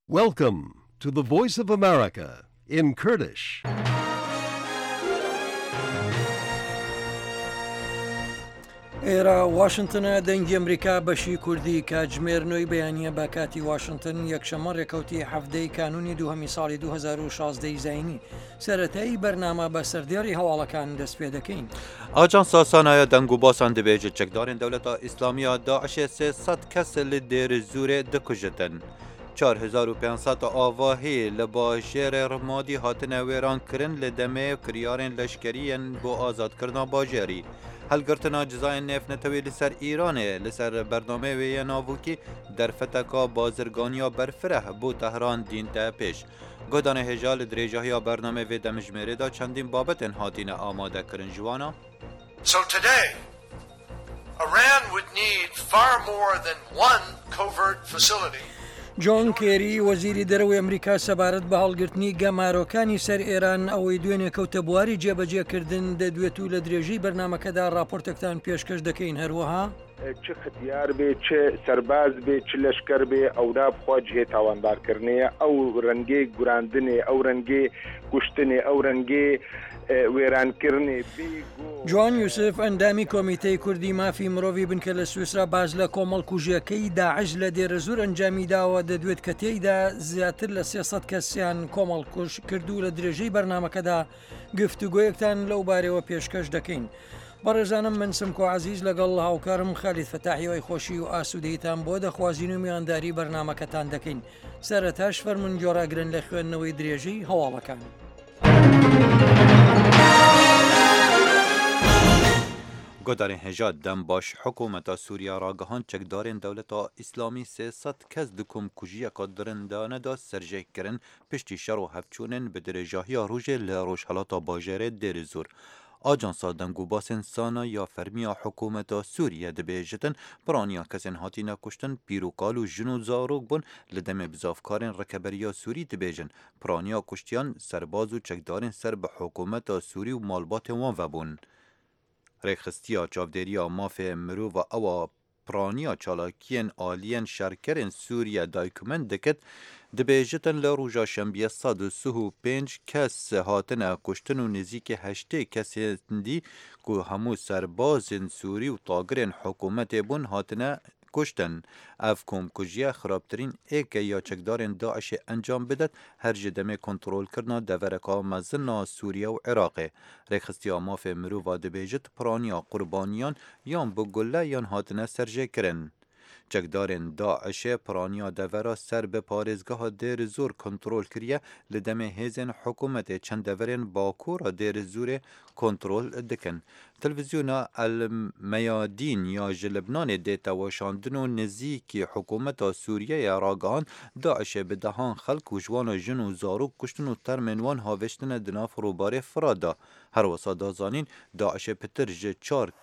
Welcome to the Voice of America in Kurdish. ئێرە واشنتنە دەنگی ئەمریکا بەشی کوردی کاتژمێر نۆی بەیانە بە کاتی واشنتن یەکشەممە ڕێکەوتی حەفتەی کانونی دووهەمی ساڵی 2016 زینی سەرەتایی بەرنامە بە سەردێڕی هەواڵەکان دەست پێ دەکەین. ئاژانسا سانایە دەنگ و باسان دبێژت چەکدارên دەولەتا ئیسلامیya داعشê 300 kes li Dêrizûrê dikujitin. 4500 avahî li bajêrê Rimadî hatine wêrankirin li demê kiryarên leşkerî yên bo azadkirina bajêrî. Helgirtina cizayên nêvnetewî li ser Îranê li ser bernameyê wê yê navokî derfeteka bazirganiya berfireh bo Tehran dînte pêş. Guhdanê hêja li dirêjahiya bernameyê vê demjimêrê de çendîn babetên hatine amadekirin ji wan a. So today, Iran would need far more than one covert facility. جۆن کێری، وەزیری دەرەوەی ئەمریکا سەبارەت بە هەڵگرتنی گەمارۆکانی سەر ئێران ئەوەی دوێنێ کەوتە بواری جێبەجێکردن دەدوێت و لە درێژەی بەرنامەکەدا ڕاپۆرتێکتان پێشکەش دەکەین هەروەها. چ ختیار بێ چ سەرباز بێ چ لەشکەر بێ ئەودا بخوا جهێ تاوانبار کردنێە ئەو رەنگێ گوراندنێ ئەو رەنگێ کوشتنێ ئەو رەنگێ وێران کرنێ بێ گۆ. جوان یوسف، ئەندامی کۆمیتەی کوردی مافی مرۆڤی بنکە لە سویسرا باس لە کۆمەڵکوژییەکەی داعش لە دێرەزوور ئەنجامی داوە دەدوێت کە تێیدا زیاتر لە 300 کەسیان کۆمەڵکوژ کرد و لە درێژەی بەرنامەکەدا گفتوگۆیەکتان لەو بارەوە پێشکەش دەکەین. بەڕێزانم من سمکۆ عەزیز لەگەڵ هاوکارم خالید فەتاح هیوای خۆشی و ئاسوودەیتان بۆ دەخوازین و میوانداری بەرنامەکەتان دەکەین. سەرەتاش فەرموون گۆڕاگرن لە خوێندنەوەی درێژەی هەواڵەکان. Guhdarên hêja dem baş hikûmeta Sûriye ragihand çekdarên dewleta Îslamî 300 kes di komkujiyeke dirindane de serjê kirin piştî şer û hevçûnên bi dirêjahiya rojê li rojhilata bajêrê Dêrizor. Ajansa Dengûbasên Sana ya fermî ya hikûmeta Sûriye dibêjitin piraniya kesên hatine kuştin pîr û kal û jin û zarok bûn li demê bizavkarên rikeberiya Sûrî dibêjin piraniya kuştiyan serbaz û çekdarên ser bi hikûmeta Sûrî û malbatên wan vebûn. Rêkxistiya çavdêriya mafê mirova ewa piraniya çalakiyên aliyên şerkerên Sûriye daykument dikit dibêjitin li roja şembiyê 135 kes hatine kuştin û nêzîkî 80 kesên dî ku hemû serbazên Sûrî û tagirên hikûmetê bûn hatine kuştin. Ev komkujiye xirabtirîn êke ya çekdarên DAIŞê encam bidet her ji demê kontrolkirina devereka mezin a Sûriye û Iraqê. Rêxistiya mafê mirova dibêjit piraniya qurbaniyan yan bi gule yan hatine serjêkirin. Çekdarên DAIŞê piraniya devera ser bi parêzgeha Dêrizor kontrol kiriye li demê hêzên hikûmetê çend deverên Bakûra Dêrizorê kontrol dikin. Televizyona El Meyadîn ya ji Libnanê dê teweşandin û nêzîkî hikûmeta Sûriyeyê ragihand DAIŞê bi dehan xelk û ji wan jin û zarok kuştin û termên wan havêştine di nav rûbarê Firat de. Her wisa da zanîn DAIŞê pitir ji 400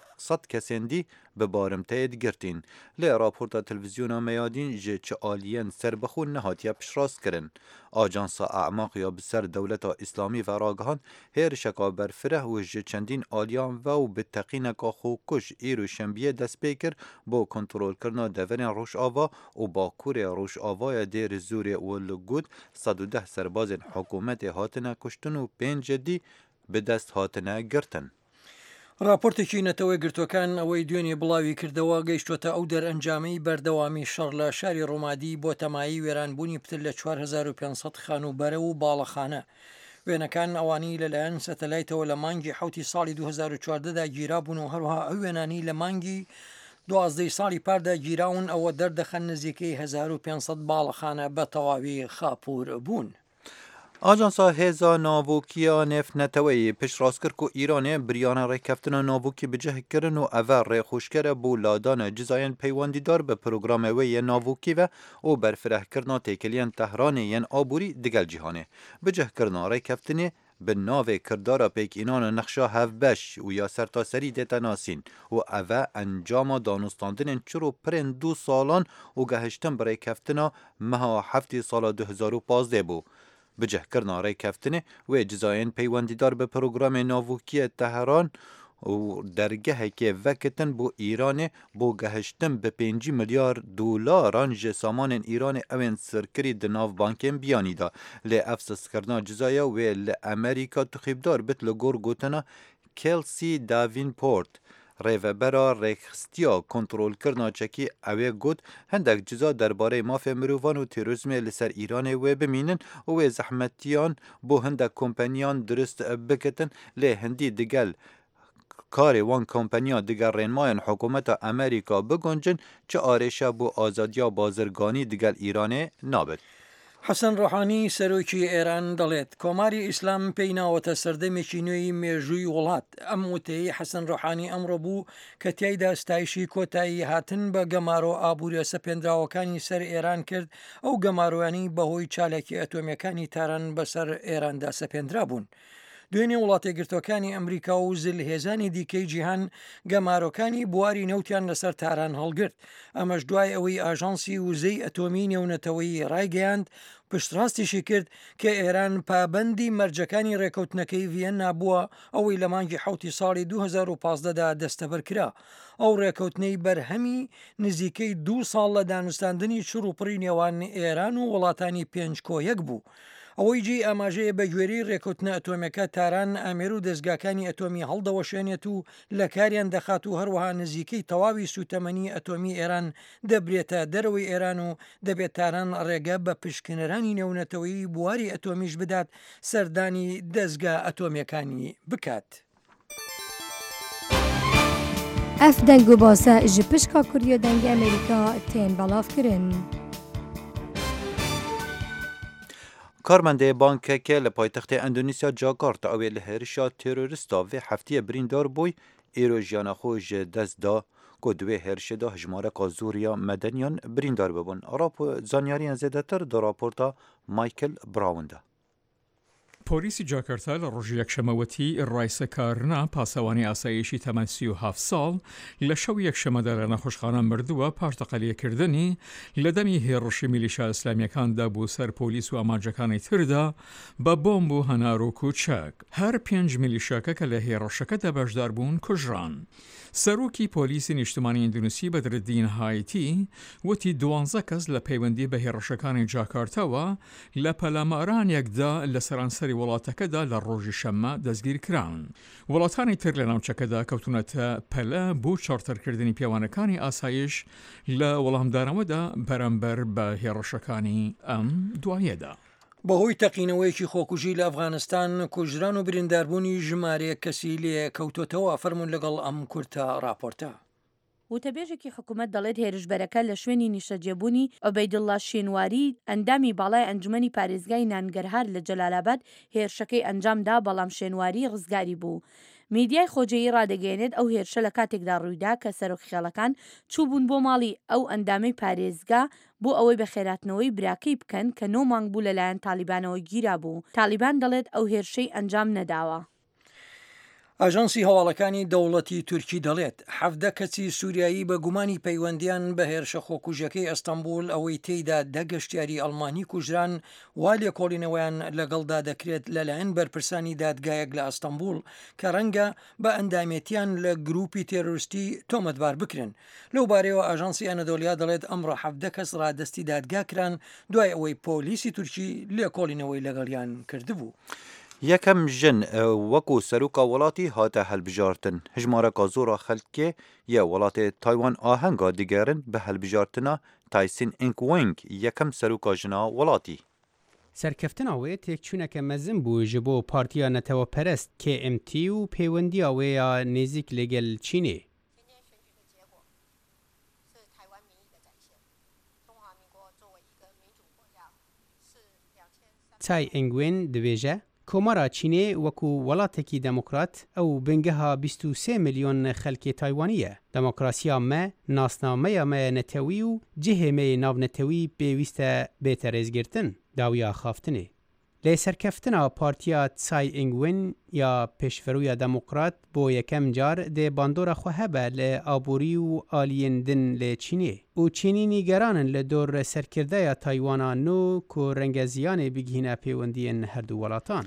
kesên dî bi barimteyê digirtîn. Lê raporta Televizyona Meyadîn ji çi aliyên serbixwe nehatiye piştrastkirin. Ajansa Emaq ya bi ser Dewleta Îslamî ve ragihand hêrişeka berfireh û ji çendîn aliyan ve û bi teqîneka xwekuj îro şembiyê dest pê kir bo kontrolkirina deverên Rojava û Bakurê Rojavaya Dêrizorê û li got 110 serbazên hikûmetê hatine kuştin û pênc dî bi dest hatine girtin. راپۆرتێکی نەتەوە یەکگرتووەکان ئەوەی دوێنێ بڵاوی کردەوە گەیشتووەتە ئەو دەرئەنجامەی بەردەوامی شەڕ لە شاری ڕومادی بۆتە مایەی وێرانبوونی پتر لە 4500 خانووبەرە و باڵەخانە. وێنەکان ئەوانەی لەلایەن سەتەلایتەوە لە مانگی حەوتی ساڵی 2014 دا گیرابوون و هەروەها ئەو وێنانەی لە مانگی دوازدەی ساڵی پاردا گیراون ئەوە دەردەخەن نزیکەی 1500 باڵەخانە بە تەواوی خاپوور بوون. ئاژانسا هێزا ناڤۆکییا نێڤنەتەوەیی پشتڕاست کرد ku Îranê biryara rêkeftina navokî bi cih kirin û ev e rêxweşker e bo ladana cizayên peywendîdar bi programê wê yê navokî ve û berfirehkirina têkiliyên Tehranê yên aborî digel cîhanê. Bicihkirina rêkeftinê bi navê kirdara pêkînana nexşa hevbeş û ya sertaserî dête nasîn û ev e encama danûstandinên çir û pirên du salan û gehiştin bi rêkeftina meha heftê sala 2015 bû. Bicihkirina rêkeftinê wê cizayên peywendîdar bi programê navokiyê Tehran û dergehekê vekitin bo Îranê bo gehiştin bi 50 milyar dolaran ji samanên Îranê ewên sirkirî di nav bankên biyanî de. Lê ev sistkirina cizaya wê li Amerîka tuxîbdar bit li gor gotina Kelsey Davenport, rêvebera rêkxistiya kontrolkirina çekî ewê got hindek ciza derbarey mafê mirovan û terorîzmê li ser Îranê wê bimînin û wê zehmetiyan bo hindek kompaniyan dirust bikitin lê hindî digel karê wan kompaniyan digel rênmayên hikûmeta Amerîka biguncin çi arêşe bo azadiya bazirganî digel Îranê nabit. حەسەن ڕۆحانی، سەرۆکی ئێران دەڵێت، کۆماری ئیسلام پێی ناوەتە سەردەمێکی نوێی مێژووی وڵات. ئەم وتەیەی حەسەن ڕۆحانی ئەمڕۆ بوو کە تیایدا ستایشی کۆتایی هاتن بە گەمارۆ ئابووریە سەپێندراوەکانی سەر ئێران کرد، ئەو گەمارۆیانەی بەهۆی چالاکیە ئەتۆمیەکانی تاران بەسەر ئێراندا سەپێندرابوون. دوێنێ وڵاتەیەکگرتووەکانی ئەمریکا و زلهێزانی دیکەی جیهان گەمارۆکانی بواری نەوتیان لەسەر تاران هەڵگرت، ئەمەش دوای ئەوەی ئاژانسی وزەی ئەتۆمی نێونەتەوەیی ڕایگەیاند، پشتڕاستیشی کرد کە ئێران پابەندی مەرجەکانی ڕێکەوتنەکەی ڤیەننا بووە، ئەوەی لە مانگی حەوتی ساڵی 2015 دا دەستەبەر کرا. ئەو ڕێکەوتنەی بەرهەمی نزیکەی دوو ساڵ لە دانوستاندنی چڕوپڕی نێوان ئێران و وڵاتانی پێنج کۆ یەک بوو. ئەوەی جێی ئاماژەیە بەگوێرەی رێکەوتنە ئەتۆمیەکە تاران ئامێر و دەزگاکانی ئەتۆمی هەڵدەوەشێنێت و لەکاریان دەخات و هەروەها نزیکەی تەواوی سوتەمەنی ئەتۆمی ئێران دەبرێتە دەرەوەی ئێران و دەبێت تاران ڕێگە بە پشکنەرانی نێونەتەوەیی بواری ئەتۆمیش بدات سەردانی دەزگا ئەتۆمیەکانی بکات. Ev deng û base ji pişka Kurdiya Dengê Amerîka tên belavkirin. Karmendê bankekê li paytextê Endonezya Jakarta ew ê li hêrişa terorîsta vê hefteyê birîndar bûy, îro jiyana xwe ji dest da ku di wê hêrişê de hejmareka zor ya medeniyan birîndar bibûn. Zanyariyên zêdetir di raporta Michael Brown de. پۆلیسی جاکەرتا لە ڕۆژی یەکشەممە وتی، ڕایسە کارنا، پاسەوانی ئاسایشی تەمەن 37 ساڵ، لە شەوی یەکشەممەدا لە نەخۆشخانە مردووە پاش تەقەلێکردنی لە دەمی هێڕشی میلیشا ئیسلامییەکاندا بۆ سەر پۆلیس و ئامانجەکانی تردا بە بۆمب و هەنارۆک و چەک. هەر پێنج میلیشاکە کە لە هێڕشەکەدا بەشداربوون کوژران. سەرۆکی پۆلیسی نیشتمانی ئیندونیسی بەدرەدین هایتی وتی دوانزە کەس لە پەیوەندی بە هێڕشەکانی جاکارتاوە لە پەلامارانێکدا لە سەرانسەری وڵاتەکەدا لە ڕۆژی شەممە دەستگیرکران. وڵاتانی تر لە ناوچەکەدا کەوتوونەتە پەلە بۆ چڕترکردنی پێوانەکانی ئاسایش لە وەڵامدانەوەدا بەرامبەر بە هێڕشەکانی ئەم دوایەدا. بەهۆی تەقینەوەیەکی خۆکوژی لە ئەفغانستان کوژران و برینداربوونی ژمارەیەک کەسی لێکەوتۆتەوە، فەرموون لەگەڵ ئەم کورتە ڕاپۆرتە. وتەبێژێکی حکومەت دەڵێت هێرشبەرەکە لە شوێنی نیشتەجێبوونی عوبەیدوڵڵا شینواری، ئەندامی باڵای ئەنجومەنی پارێزگای نانگەرهار لە جەلالاباد هێرشەکەی ئەنجامدا، بەڵام شێنواری ڕزگاری بوو. میدیای خۆجێیی ڕادەگەیەنێت ئەو هێرشە لە کاتێکدا ڕوویدا کە سەرۆک خێڵەکان چووبوون بۆ ماڵی ئەو ئەندامەی پارێزگا بۆ ئەوەی بەخێراتنەوەی براکەی بکەن کە نۆ مانگ بوو لەلایەن تاڵیبانەوە گیرابوو. تاڵیبان دەڵێت ئەو هێرشەی ئەنجام نەداوە. ئاژانسی هەواڵەکانی دەوڵەتی تورکی دەڵێت، 17 کەسی سووریایی بە گومانی پەیوەندیان بە هێرشە خۆکوژەکەی ئەستەنبوڵ ئەوەی تێیدا دە گەشتیاری ئەڵمانی کوژران وا لێکۆڵینەوەیان لەگەڵدا دەکرێت لەلایەن بەرپرسانی دادگایەک لە ئەستەنبوڵ کە ڕەنگە بە ئەندامێتیان لە گروپی تێرۆریستی تۆمەتبار بکرێن. لەو بارەیەوە ئاژانسی ئەنەدۆلیا دەڵێت ئەمڕۆ 17 کەس ڕادەستی دادگا کران دوای ئەوەی پۆلیسی تورکی لێکۆڵینەوەی لەگەڵیان کردبوو. یەکەم ژن وەکو سەرۆکا وڵاتی هاتە هەلبژارتن. هژمارەکا زۆرا خەلکێ یە وڵاتێ تایوان ئاهەنگا دگێرن بە هەلبژارتنا تایسین ئینگ وینگ یەکەم سەرۆکا ژنا وڵاتی. سەرکەفتنا wê têkçûneke mezin bû ji bo Partiya Neteweperest, KMT, û pêwendiya wê ya nêzîk li gel Çînê. Tsai Ing-wen dibêje, Komara Çînê wekû welatekî demokrat ew bingeha 23 milyon xelkê Taywanî ye. Demokrasiya me, nasnameya me ya netewî û cihê me yê navnetewî pêwîst e bête rêzgirtin. Dawiya axaftinê. Lê serkeftina partiya Tsai Ing-wen ya Pêşverûya Demokrat bo yekem car dê bandora xwe hebe li aborî û aliyên din li Çînê û Çînî nîgeran in li dor serkirdeya Taywana nû ku renge ziyanê bigihîne pêwendiyên herdu welatan.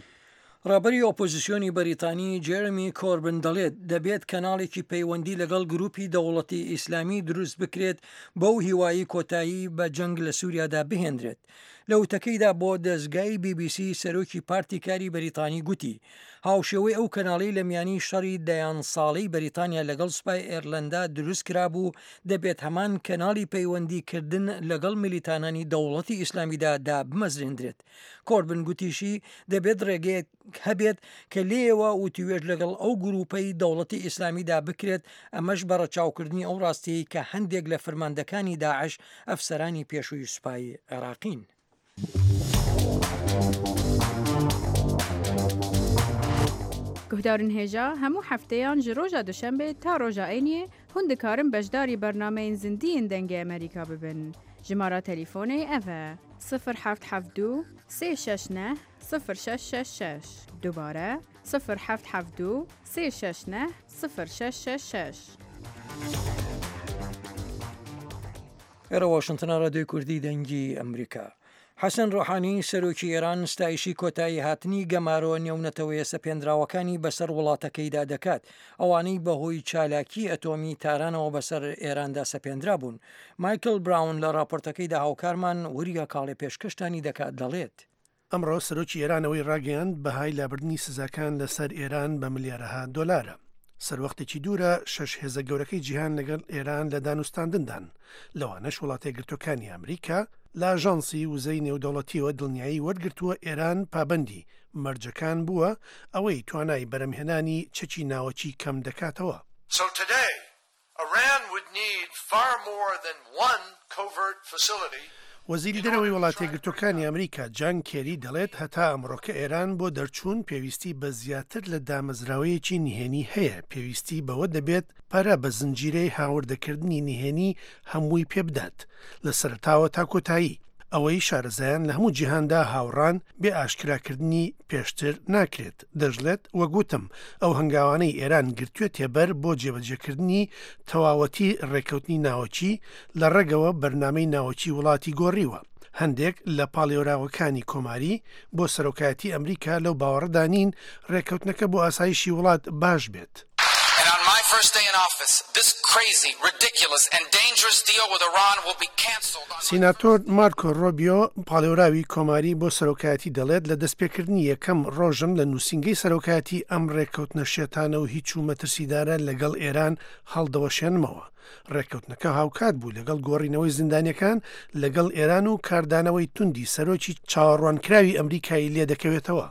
ڕابەری ئۆپۆزسیۆنی بەریتانی جێرمی کۆربن دەڵێت دەبێت کەناڵێکی پەیوەندی لەگەڵ گروپی دەوڵەتی ئیسلامی دروست بکرێت بەو هیوایی کۆتایی بە جەنگ لە سووریادا بهێنرێت. لە وتەکەیدا بۆ دەزگای بی بی سی سەرۆکی پارتی کاری بەریتانی گوتی هاوشێوەی ئەو کەناڵەی لە میانی شەڕی دەیان ساڵەی بەریتانیا لەگەڵ سوپای ئێرلەندا دروست کرابوو دەبێت هەمان کەناڵی پەیوەندی کردن لەگەڵ میلیتانانی دەوڵەتی ئیسلامیدا دابمەزرێندرێت. کۆربن گوتیشی دەبێت ڕێگەیەک هەبێت کە لێیەوە وتوێژ لەگەڵ ئەو گروپەی دەوڵەتی ئیسلامیدا بکرێت، ئەمەش بە ڕەچاوکردنی ئەو ڕاستیەی کە هەندێک لە فرماندەکانی داعش ئەفسەرانی پێشووی سوپای عێراقین. Guhdarên hêja hemû hefteyan ji roja duşembê ta roja êniyê hûn dikarin beşdarî bernameyên zindî yên Dengê Amerîka bibin. Jimara telîfonê ev e, sifir heft heft du sê şeş neh sifir şeş şeş şeş. Dubare, sifir heft heft du sê şeş neh sifir şeş şeş şeş. ئێرە واشنتنە ڕادیۆی کوردی دەنگی ئەمریکا. حەسەن ڕۆحانی سەرۆکی ئێران ستایشی کۆتایی هاتنی گەمارۆ نێونەتەوەیە سەپێنراوەکانی بەسەر وڵاتەکەیدا دەکات، ئەوانەی بەهۆی چالاکی ئەتۆمی تارانەوە بەسەر ئێراندا سەپێنرابوون. مایکل براون لە ڕاپۆرتەکەیدا هاوکارمان وریا کاڵێ پێشکەشتانی دەکات دەڵێت. ئەمڕۆ سەرۆکی ئێران ئەوەی ڕاگەیاند بەهای لابردنی سزاکان لەسەر ئێران بە ملیارەها دۆلارە. سەروەختێکی دوورە شەش هێزە گەورەکەی جیهان لەگەڵ ئێران لە دانوستاندندان، لەوانەش وڵاتەیەکگرتووەکانی ئەمریکا، لە ئاژانسی وزەی نێودەوڵەتییەوە دڵنیایی وەرگرتووە ئێران پابەندی مەرجەکان بووە، ئەوەی توانای بەرهەمهێنانی چەکی ناوەکی کەم دەکاتەوە. So today, Iran would need far more than one covert facility وەزیری دەرەوەی وڵاتەیەکگرتووەکانی ئەمریکا جان کێری دەڵێت هەتا ئەمڕۆکە ئێران بۆ دەرچوون پێویستی بە زیاتر لە دامەزراوەیەکی نهێنی هەیە، پێویستی بەوە دەبێت پەرە بە زنجیرەی هاوردەکردنی نهێنی هەمووی پێبدات لە سەرەتاوە تا کۆتایی. ئەوەی شارەزایان لە هەموو جیهاندا هاوڕان بێ ئاشکراکردنی پێشتر ناکرێت. دەشڵێت، وەک وتم ئەو هەنگاوانەی ئێران گرتوێتیەبەر بۆ جێبەجێکردنی تەواوەتی ڕێککەوتنی ناوەکی، لە ڕەگەوە بەرنامەی ناوەکی وڵاتی گۆڕیوە. هەندێک لە پاڵێوراوەکانی کۆماری بۆ سەرۆکایەتی ئەمریکا لەو باوەڕەدا نین ڕێککەوتنەکە بۆ ئاسایشی وڵات باش بێت. سیناتۆر مارکۆ ڕۆبیۆ، پاڵێوراوی کۆماری بۆ سەرۆکایەتی دەڵێت، لە دەستپێکردنی یەکەم ڕۆژم لە نووسینگەی سەرۆکایەتی ئەم ڕێککەوتنە شێتانە و هیچ و مەترسیدارە لەگەڵ ئێران هەڵدەوەشێنمەوە. ڕێککەوتنەکە هاوکات بوو لەگەڵ گۆڕینەوەی زیندانیەکان لەگەڵ ئێران و کاردانەوەی توندی سەرۆکی چاوەڕوانکراوی ئەمریکای لێدەکەوێتەوە.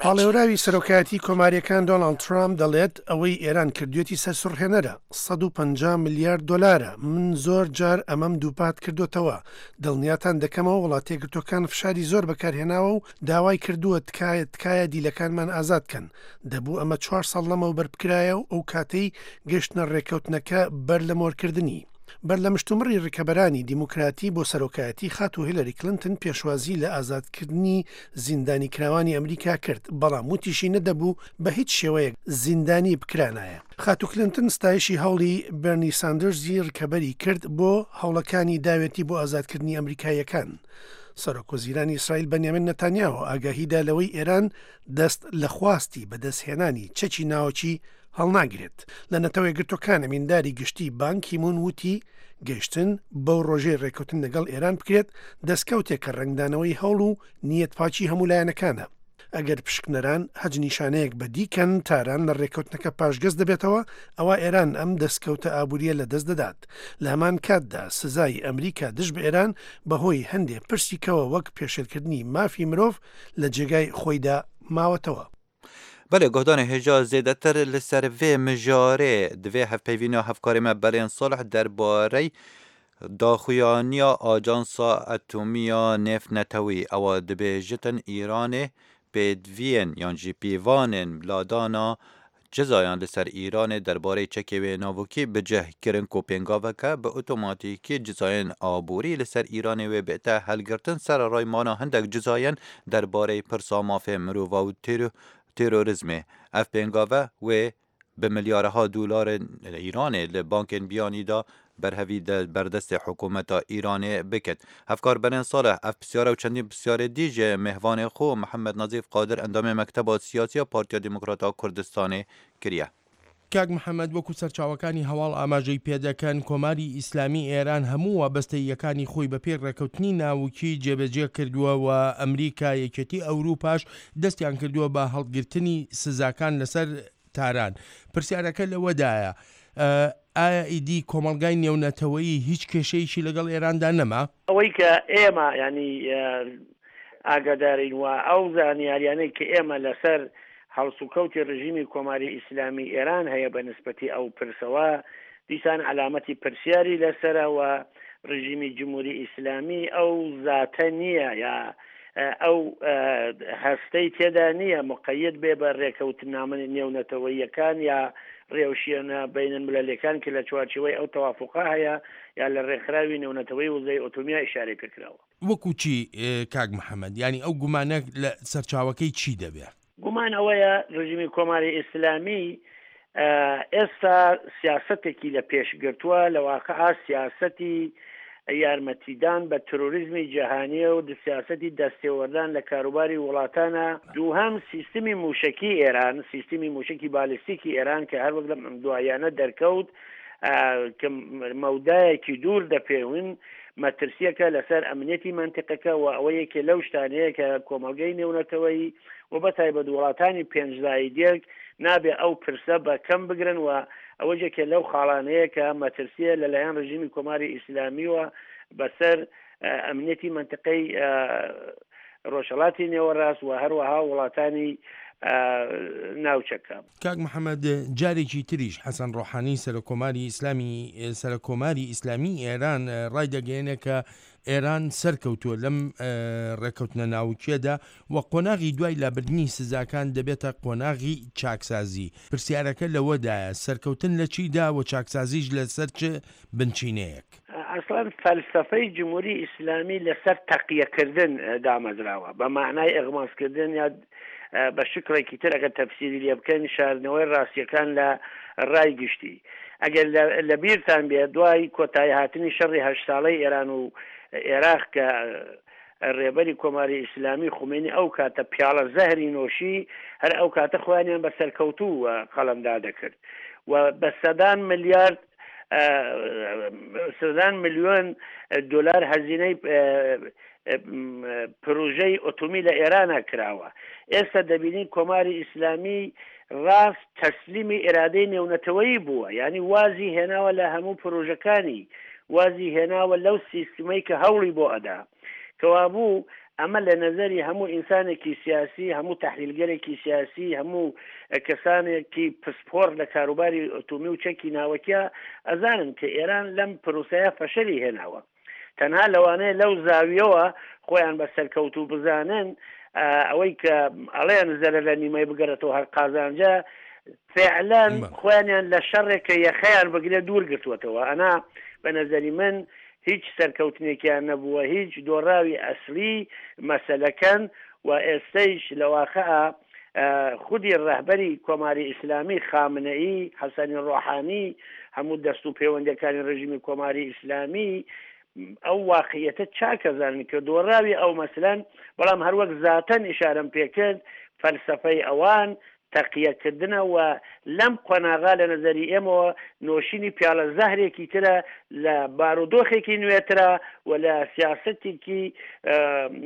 پاڵێوراوی سەرۆکایەتی کۆمارییەکان دۆناڵد ترامپ دەڵێت، ئەوەی ئێران کردویەتی سەرسوڕهێنەرە، 150 ملیار دۆلارە، من زۆر جار ئەمەم دووپات کردۆتەوە، دڵنیاتان دەکەمەوە وڵاتەیەکگرتووەکان فشاری زۆر بەکارهێناوە و داوای کردووە تکایە تکایە دیلەکانمان ئازاد کەن، دەبوو ئەمە چوار ساڵ لەمەوبەر بکرایە و ئەو کاتەی گەشتنە ڕێککەوتنەکە بەر لە مۆرکردنی. بەر لە مشتومڕی ڕکەبەرانی دیموکراتی بۆ سەرۆکایەتی خاتوو هیلەری کلنتن پێشوازی لە ئازادکردنی زیندانیکراوانی ئەمریکا کرد، بەڵام وتیشی نەدەبوو بە هیچ شێوەیەک زیندانی بکرانایە. خاتوو کلنتن ستایشی هەوڵی بێرنی ساندرزی ڕکەبەری کرد بۆ هەوڵەکانی داوێتی بۆ ئازادکردنی ئەمریکاییەکان. سەرۆکوەزیرانی ئیسرائیل بەنیامین نەتانیاهۆ ئاگاهی دا لەوەی ئێران دەست لە خواستی بەدەستهێنانی چەکی ناوەکی هەڵناگرێت. لە نەتەوەیەکگرتووەکان ئەمینداری گشتی بان کیمون وتی، گەیشتن بەو ڕۆژەی ڕێککەوتن لەگەڵ ئێران بکرێت، دەستکەوتێکە ڕەنگدانەوەی هەوڵ و نیەتپاکی هەموو لایەنەکانە. ئەگەر پشکنەران هەچ نیشانەیەک بەدی کەن تاران لە ڕێککەوتنەکە پاشگەز دەبێتەوە، ئەوا ئێران ئەم دەستکەوتە ئابوورییە لەدەست دەدات. لە هەمان کاتدا سزای ئەمریکا دژ بە ئێران بەهۆی هەندێ پرسی کەوە وەک پێشێلکردنی مافی مرۆڤ لە جێگای خۆیدا ماوەتەوە. بەلێ گۆهدانê hêja zêdetir li ser vê mijarê divê hevpeyvîna hevkarê me Belên Salih derbarey daxuyaniya Ajansa Etomiya Nêvnetewî ewa dibêjitin Îranê pêdiviyên yan jî pîvanên ladana Cezayan li ser Îranê derbarê çekê wê navokî bi cih kirin ku pêngaveke bi otomatîkî cezayên aborî li ser Îranê wê bête helgirtin sereray mana hindek cezayên derbarê pirsa mafê mirova û terorîzmê. Ev pêngave wê Bi milyaraha dolarên Îranê li bankên biyanî de berhevî di berdestê hikûmeta Îranê bikin. Hevkar Berên Salih ev pisyare û çendîn pisyarê dî ji mêvanê xwe Mihemed Nazîf Qadir endamê Mekteba Siyasî ya Partiya Demokrat a Kurdistanê kiriye. کاک محەمەد وەکو سەرچاوەکانی هەواڵ ئاماژەی پێدەکەن کۆماری ئیسلامی ئێران هەموو وابەستەییەکانی خۆی بەپێی ڕێکەوتنی ناوکی جێبەجێ کردووە و ئەمریکا یەکێتی ئەوروپاش دەستیان کردووە بە هەڵگرتنی سزاکان لەسەر تاران. پرسیارەکە لەوەدایە ئایا ئیدی کۆمەڵگای نێونەتەوەیی هیچ کێشەیەکی لەگەڵ ئێراندا نەما؟ ئەوەی کە ئێمە یانی ئاگادارین و ئەو زانیاریانەی کە ئێمە لەسەر هەڵسوکەوتی ڕژیمی کۆماری ئیسلامی ئێران هەیە بە نسبەتی ئەو پرسەوە دیسان عەلامەتی پرسیاری لەسەرە و ڕژیمی جمهوری ئیسلامی ئەو زاتە نییە یا ئەو هەستەی تێدا نییە مقید بێ بە ڕێکەوتنامە نێونەتەوەییەکان یا ڕێوشێنە بەینەلملەلیەکان کە لە چوارچێوەی ئەو تەوافوقە هەیە یا لە ڕێکخراوی نێونەتەوەی وزەی ئۆتۆمیا ئیشارەی پێکراوە. وەکو چی کاک محەمەد؟ یانی ئەو گومانە لە سەرچاوەکەی چی دەبێ؟ گومان ئەوەیە ڕژیمی کۆماری ئیسلامی ئێستا سیاسەتێکی لە پێش گرتووە، لە واقعا سیاسەتی یارمەتیدان بە ترۆریزمی جیهانیە و سیاسەتی دەستێوەردان لە کاروباری وڵاتانە. دووهەم سیستمی مووشەکی ئێران، سیستمی مووشەکی بالستیکی ئێران کە هەروەک لەم دواییانە دەرکەوت کە مەودایەکی دوور دەپێون، مەترسییەکە لەسەر ئەمنیەتی مەنتیقەکە و ئەوە یەکێ لەو شتانەیە کە کۆمەڵگەی نێونەتەوەیی و بە تایبەت وڵاتانی پێنجلایی دێک نابێ ئەو پرسە بە کەم بگرن و ئەوەش یەکێ لەو خاڵانەیە کە مەترسییە لەلایەن ڕژیمی کۆماری ئیسلامیوە بەسەر ئەمنیەتی مەنتیقەی ڕۆژهەڵاتی نێوەڕاست و هەروەها وڵاتانی ناوچەکە. کاک محەمەد جارێکی تریش حەسەن ڕۆحانی سەرۆککۆماری ئیسلامی سەرۆککۆماری ئیسلامیی ئێران ڕایدەگەیەنێ کە ئێران سەرکەوتووە لەم ڕێککەوتنە ناوکییەدا و قۆناغی دوای لابردنی سزاکان دەبێتە قۆناغی چاکسازی. پرسیارەکە لەوەدایە سەرکەوتن لە چیدا و چاکسازیش لەسەر چ بنچینەیەک؟ ئەسڵەن فەلسەفەی جمهوری ئیسلامی لەسەر تەقیە کردن دامەزراوە، بە مەعنای ئیغماز کردن یا بە شکڵێکی تر ئەگەر تەفسیری لێ بکەین شاردنەوەی ڕاستیەکان لە ڕای گشتی. ئەگەر لە بیرتان بێ دوای کۆتایی هاتنی شەڕی هەشت ساڵەی ئێران و ئێراق کە ڕێبەری کۆماری ئیسلامی خومەینی ئەو کاتە پیاڵە زەهری نۆشی هەر ئەو کاتە خۆیانیان بە سەرکەوتوو قەڵەمدا دەکرد و بە سەدان ملیارد سەدان ملیۆن دۆلار هەزینەی پروژەی ئۆتۆمی لە ئێرانە کراوە. ئێستا دەبینین کۆماری ئیسلامی ڕاست تەسلیمی ئیرادەی نێونەتەوەیی بووە، یانی وازی هێناوە لە هەموو پروژەکانی، وازی هێناوە لەو سیستمەی کە هەوڵی بۆ ئەدا. کەوابوو ئەمە لە نەزەری هەموو ئینسانێکی سیاسی، هەموو تەحلیلگەرێکی سیاسی، هەموو کەسانێکی پسپۆڕ لە کاروباری ئۆتۆمی و چەکی ناوەکیا ئەزانن کە ئێران لەم پروسەیە فەشەلی هێناوە. تەنها لەوانەیە لەو زاویەوە خۆیان بە سەرکەوتوو بزانن، ئەوەی کە ئەڵێن زەرەر لە نیمەی بگەڕێتەوە هەر قازانجە، فعلەن خۆیانیان لە شەڕێک کە یەخەیان بگرێت دوور گرتووەتەوە. ئەنا بە نەزەری من هیچ سەرکەوتنێکیان نەبووە، هیچ دۆڕاوی ئەسلی مەسەلەکەن و ئێستەیش لە واقع خودی ڕەهبەری کۆماری ئیسلامی خامنەیی، حەسەنی ڕۆحانی، هەموو دەست و پەیوەندەکانی ڕژیمی کۆماری ئیسلامی ئەو واقعیەتە چاک ئەزانن کە دۆڕاوی ئەو مەسلەن، بەڵام هەروەک زاتەن ئیشارەم پێکرد فەلسەفەی ئەوان تەقیە کردنە و لەم قۆناغا لە نەزەری ئێمەوە نۆشینی پیاڵە زەهرێکی ترە لە بارودۆخێکی نوێترە و لە سیاسەتێکی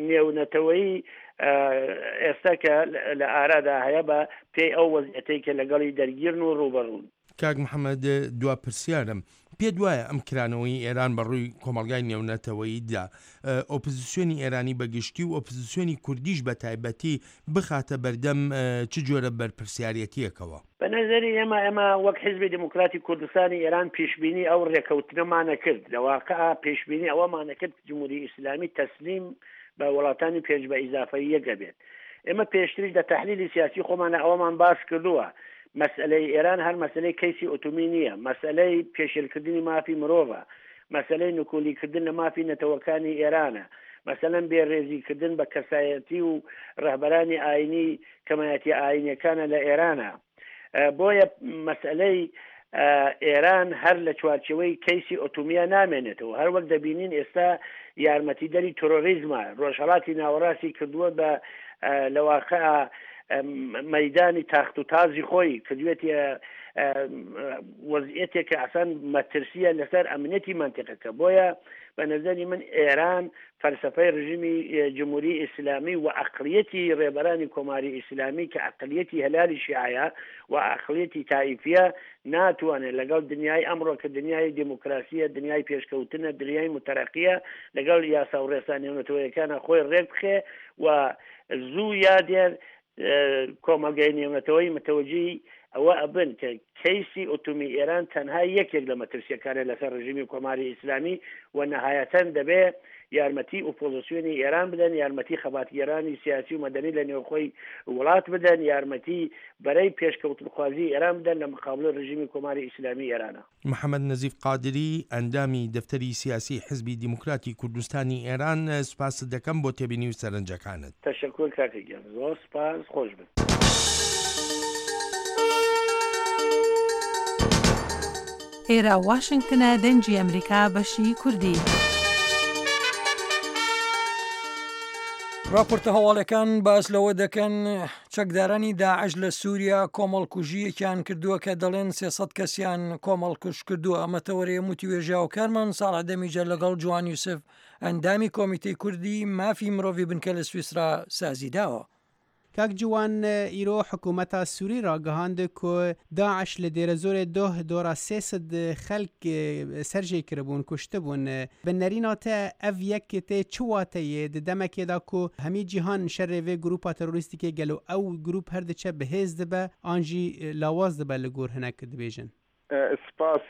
نێونەتەوەیی ئێستا کە لە ئارادا هەیە بە پێی ئەو وەزعیەتەی کە لەگەڵی دەرگیرن و ڕووبەڕوون. کاک محەمەد دوا پرسیارم، پێت وایە ئەم کرانەوەی ئێران بە ڕووی کۆمەڵگای نێونەتەوەییدا ئۆپزسیۆنی ئێرانی بە گشتی و ئۆپزسیۆنی کوردیش بە تایبەتی بخاتە بەردەم چ جۆرە بەرپرسیارێتییەکەوە؟ بە نەزەری ئێمە، ئێمە وەک حیزبی دێموکراتی کوردستانی ئێران پیشبینی ئەو ڕێکەوتنەمانەکرد، لە واقع پێشبینی ئەوەمانەکرد جمهوری ئیسلامی تەسلیم بە وڵاتانی پێنج بە ئیزافەی یەک ئەبێت. ئێمە پێشتریش لە تەحلیلی سیاسی خۆمانە ئەوەمان باس کردووە، مەسئەلەی ئێران هەر مەسئەلەی کەیسی ئۆتۆمی نییە، مەسئەلەی پێشێلکردنی مافی مرۆڤە، مەسئەلەی نکولی کردن لە مافی نەتەوەکانی ئێرانە، مەسەلەن بێ رێزی کردن بە کەسایەتی و رەهبەرانی ئاینی کەمایەتیە ئاینیەکانە لە ئێرانە. بۆیە مەسئەلەی ئێران هەر لە چوارچێوەی کەیسی ئۆتومیە نامێنێتەوە هەر وەک دەبینین ئێستا یارمەتیدەری ترۆریزمە ڕۆژهەڵاتی ناوەڕاستی کردووە بە لە واقع مەدانی تاخت و تازی خۆی کردوێتیە وەزیەتێک کە ئەسان مەترسیە لەسەر ئەمنیەتی مەنتیقەکە بۆیە بە نەزەری من ئێران فەلسەفەی ڕژیمی جمهوری ئیسلامی و ئەقڵیەتی ڕێبەرانی کۆماری ئیسلامی کە ئەقڵیەتی هەلالی شیعەیە و ئەقڵیەتی تائیفیە ناتوانێت لەگەڵ دنیای ئەمڕۆ کە دنیای دێموکراسیە، دنیای پێشکەوتنە، دنیای موتەرەقیە لەگەڵ یاسا و ڕێسا نێونەتەوەیەکانا خۆی ڕێک بخێ و زوو یا دێر کۆمەڵگای نێونەتەوەیی متەوەجیی ئەوە ئەبن کە کەیسی ئۆتۆمی ئێران تەنها یەکێک لە مەترسییەکانە لەسەر ڕژیمی کۆماری ئیسلامی و نەهایەتەن دەبێ یارمەتی ئۆپۆزسیۆنی ئێران بدەن، یارمەتی خەباتگێرانی سیاسی و مەدەنی لە نێوخۆی وڵات بدەن، یارمەتی بەرەی پێشکەوتنخوازیی ئێران بدەن لە مقابڵی ڕژیمی کۆماری ئیسلامی ئێرانە. محەمەد نەزیف قادری، ئەندامی دەفتەری سیاسیی حیزبی دیموکراتی کوردستانی ئێران، سوپاست دەکەم بۆ تێبینی و سەرنجەکانت. تەشەکور کاکە گیان زۆر سوپاس خۆش بن. ئێرە واشنگتنە دەنگی ئەمریکا بەشی کوردی. راپۆرتە هەواڵەکان باس لەوە دەکەن چەکدارانی داعش لە سووریا کۆمەڵکوژییەکیان کردووە کە دەڵێن 300 کەسیان کۆمەڵکوژ کردووە ئەمە تەوەرەیە وتوێژاوکارمان ساڵح دەمیجە لەگەڵ جوان یوسف ئەندامی کۆمیتەی کوردی مافی مرۆڤی بنکە لە سویسرا سازی داوە. کاک جوان ئیرۆ حکوومەتا سووری راگەهاند کو داعش لە دێرەزۆرێ دۆه دۆرا سێسد خەلک سەرژێ کربوون کوشتبوون. Bi nerîna te ev yek tê çi wateyê di demekê de ku hemî cîhan şerê vê grûpa terorîstîkê gelo ew grûp her diçe bihêz dibe an jî lawaz dibe li gor hinek dibêjin? Spas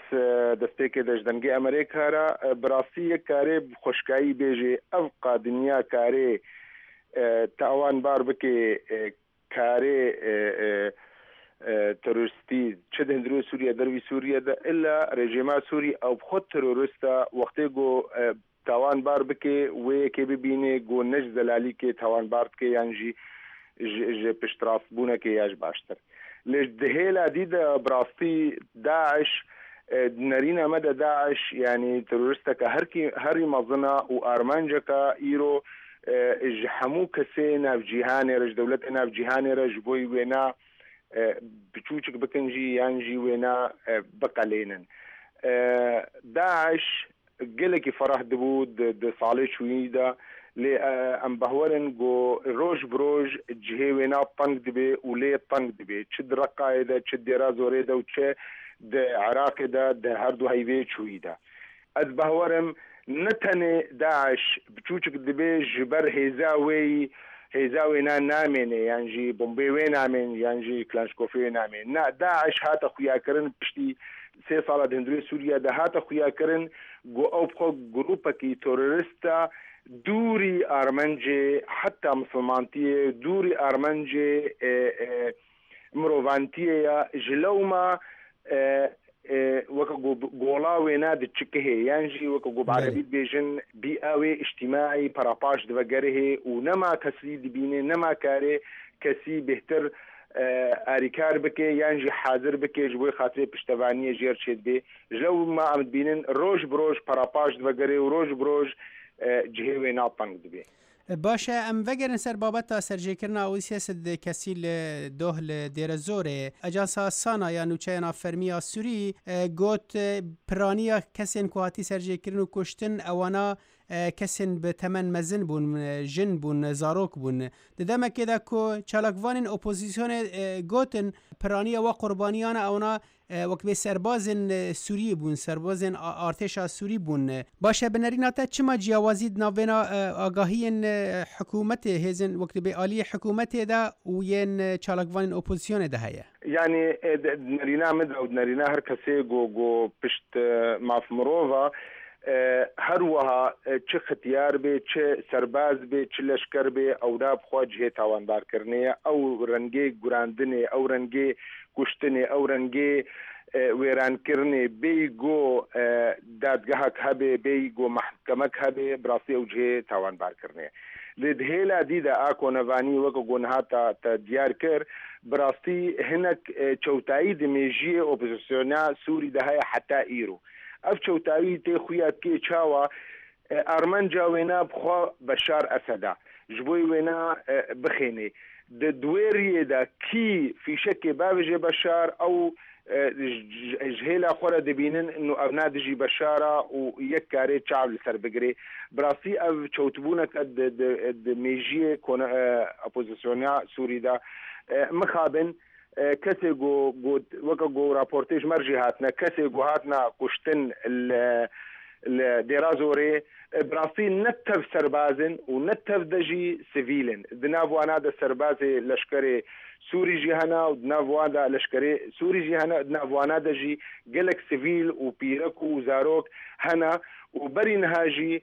destpêkê de ji dengê Amerêka re. Bi rastî yek karê bi xweşkayî bêjê ev qa dinya karê tawan bar bikê Karê teroristî çi di hundirê Sûriye dervî Sûriye de illa rejîma Sûrî ew bi xwe terorist e wextê ku tawan bar bike wê yekê bibîne ku ne ji zelalîkê tawan bar dike yan jî ji piştrastbûnekê ya ji baştir. Lê di hêla dî de bi rastî DAIŞ di nerîna me de DAIŞ yanî teroristeke herkî herî mezin e û armanceke îro Ji hemû kesê nav cîhanê re, ji dewletê nav cîhanê re ji bo wêna biçûçik bikin jî yan jî wêna biqelênin. DAIŞ gelekî ferah dibû di salê çûyî de lê em behwerin ku roj bi roj cihê wêna teng dibe û lê teng dibe çi di Reqayê de çi di Dêra Zorê de û çi di Iraqê de di her du heyvê çûyî de. Ez bawerim ne tenê DAIŞ biçûçik dibe ji ber hêza wê yî hêza wê na namêne yan jî bombê wê namên yan jî klanşkofê wê namê. Na DAIŞ hate xuyakirin piştî sê sala di hundirê Sûriye de hate xuyakirin ku ew bi xwe grûpekî terorist e dûrî armencê heta misilmantiyê dûrî armencê Mirovantiyê ye ji lewma weke ku gola wê ne diçikihê yan jî weke ku bi erebî dibêjin bîa wê îctîmaî parapaş divegerihê û nema kesî dibînê nema karê kesî bêhtir arîkar bike yan jî hazir bike ji bo xatirê piştevaniyê jêr çêdibê ji lewma em dibînin roj bi roj parapaş divegerê û roj bi roj cihê wê na teng dibê. Baş e, em vegerin ser babeta serjêkirina OCS di kesî li doh li Dêrezorê. Ajansa Sana ya nûçeyan a fermî ya Sûrî got, piraniya kesên ku hatî serjêkirin û kuştin ewana kesên bi temen mezin bûn, jin bûn, zarok bûn. Di demekê de ku çalakvanên opozîsyonê gotin piraniya we qurbaniyana ewana Wek bê serbazên Sûriyê bûn, serbazên artêşa Sûrî bûn. Baş e bi nerîna te çima ciyawazî di navbêna agahiyên hikûmetê, hêzên wek dibê aliyê hikûmetê de û yên çalakvanên opozisyonê de heye? Yanî di nerîna min de û di nerîna her kesê ku ku pişt maf mirov e, Her wiha çi xitiyar bê, çi serbaz bê, çi leşker bê ew da bi xwe cihê tawanbarkirinê ye. Ew rengê gurandinê, ew rengê kuştinê, ew rengê wêrankirinê bêyî ku dadgehek hebe, bêyî ku mehkemek hebe bi rastî ew cihê tawanbarkirinê ye. Lê di hêla dî de a konevanî weke ku niha te te diyar kir, bi rastî hinek çewtayî di mêjiyê opozisyona Sûrî de heye heta îro. Ev çewtayî tê xuya dikê çawa armanca wêna bi xwe Beşar Esed e ji bo wêna bixênê. Di di wê riyê de kî fîşekê bavêje Beşar ew ji hêla xwe re dibînin û ev na dijî Beşar e û yek karê çav li ser bigirê. Bi rastî ev çewtbûneke di di di mêjiyê opozisyona Sûrî de. Mixabin kesê ku got weke ku raportê ji me re jî hatine kesê ku hatine kuştin li li Dêrazorê bi rastî ne tev serbaz in û ne tev de jî sivîl in. Di nav wana de serbazê leşkerê Sûrî jî hene û di nav wan de leşkerê Sûrî jî hene, di nav wana de jî gelek sivîl û pîrek û zarok hene û berî niha jî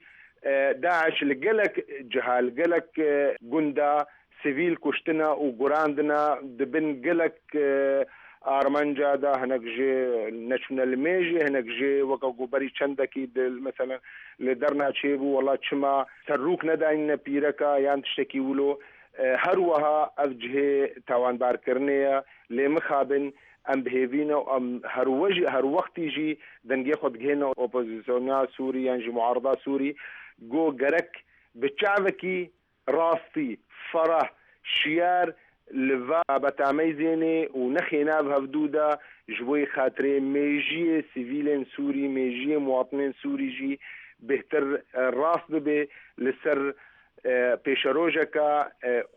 DAIŞ li gelek ciha, li gelek gunda sivîl kuştina û gurandina di bin gelek armanca de hinek jê neçûne li mêjê, hinek jê weke ku berî çendekî di meselen li derna çêbû wela çima serrûk nedayîne pîreka yan tiştekî wilo. Her wiha ev cihê tawanbarkirinê ye lê mixabin em bi hêvî ne û em her we jî her wextî jî dengê xwe digihêne opozisyona Sûrî yan jî muarada Sûrî ku gerek bi çavekî Rastî, ferah, şiyar li va babeta meyzênê û nexê nav hevdû de ji bo yê xatirê mêjiyê sivîlên Sûrî, mêjiyê muwatinên Sûrî jî bêhtir rast bibe li ser pêşerojeke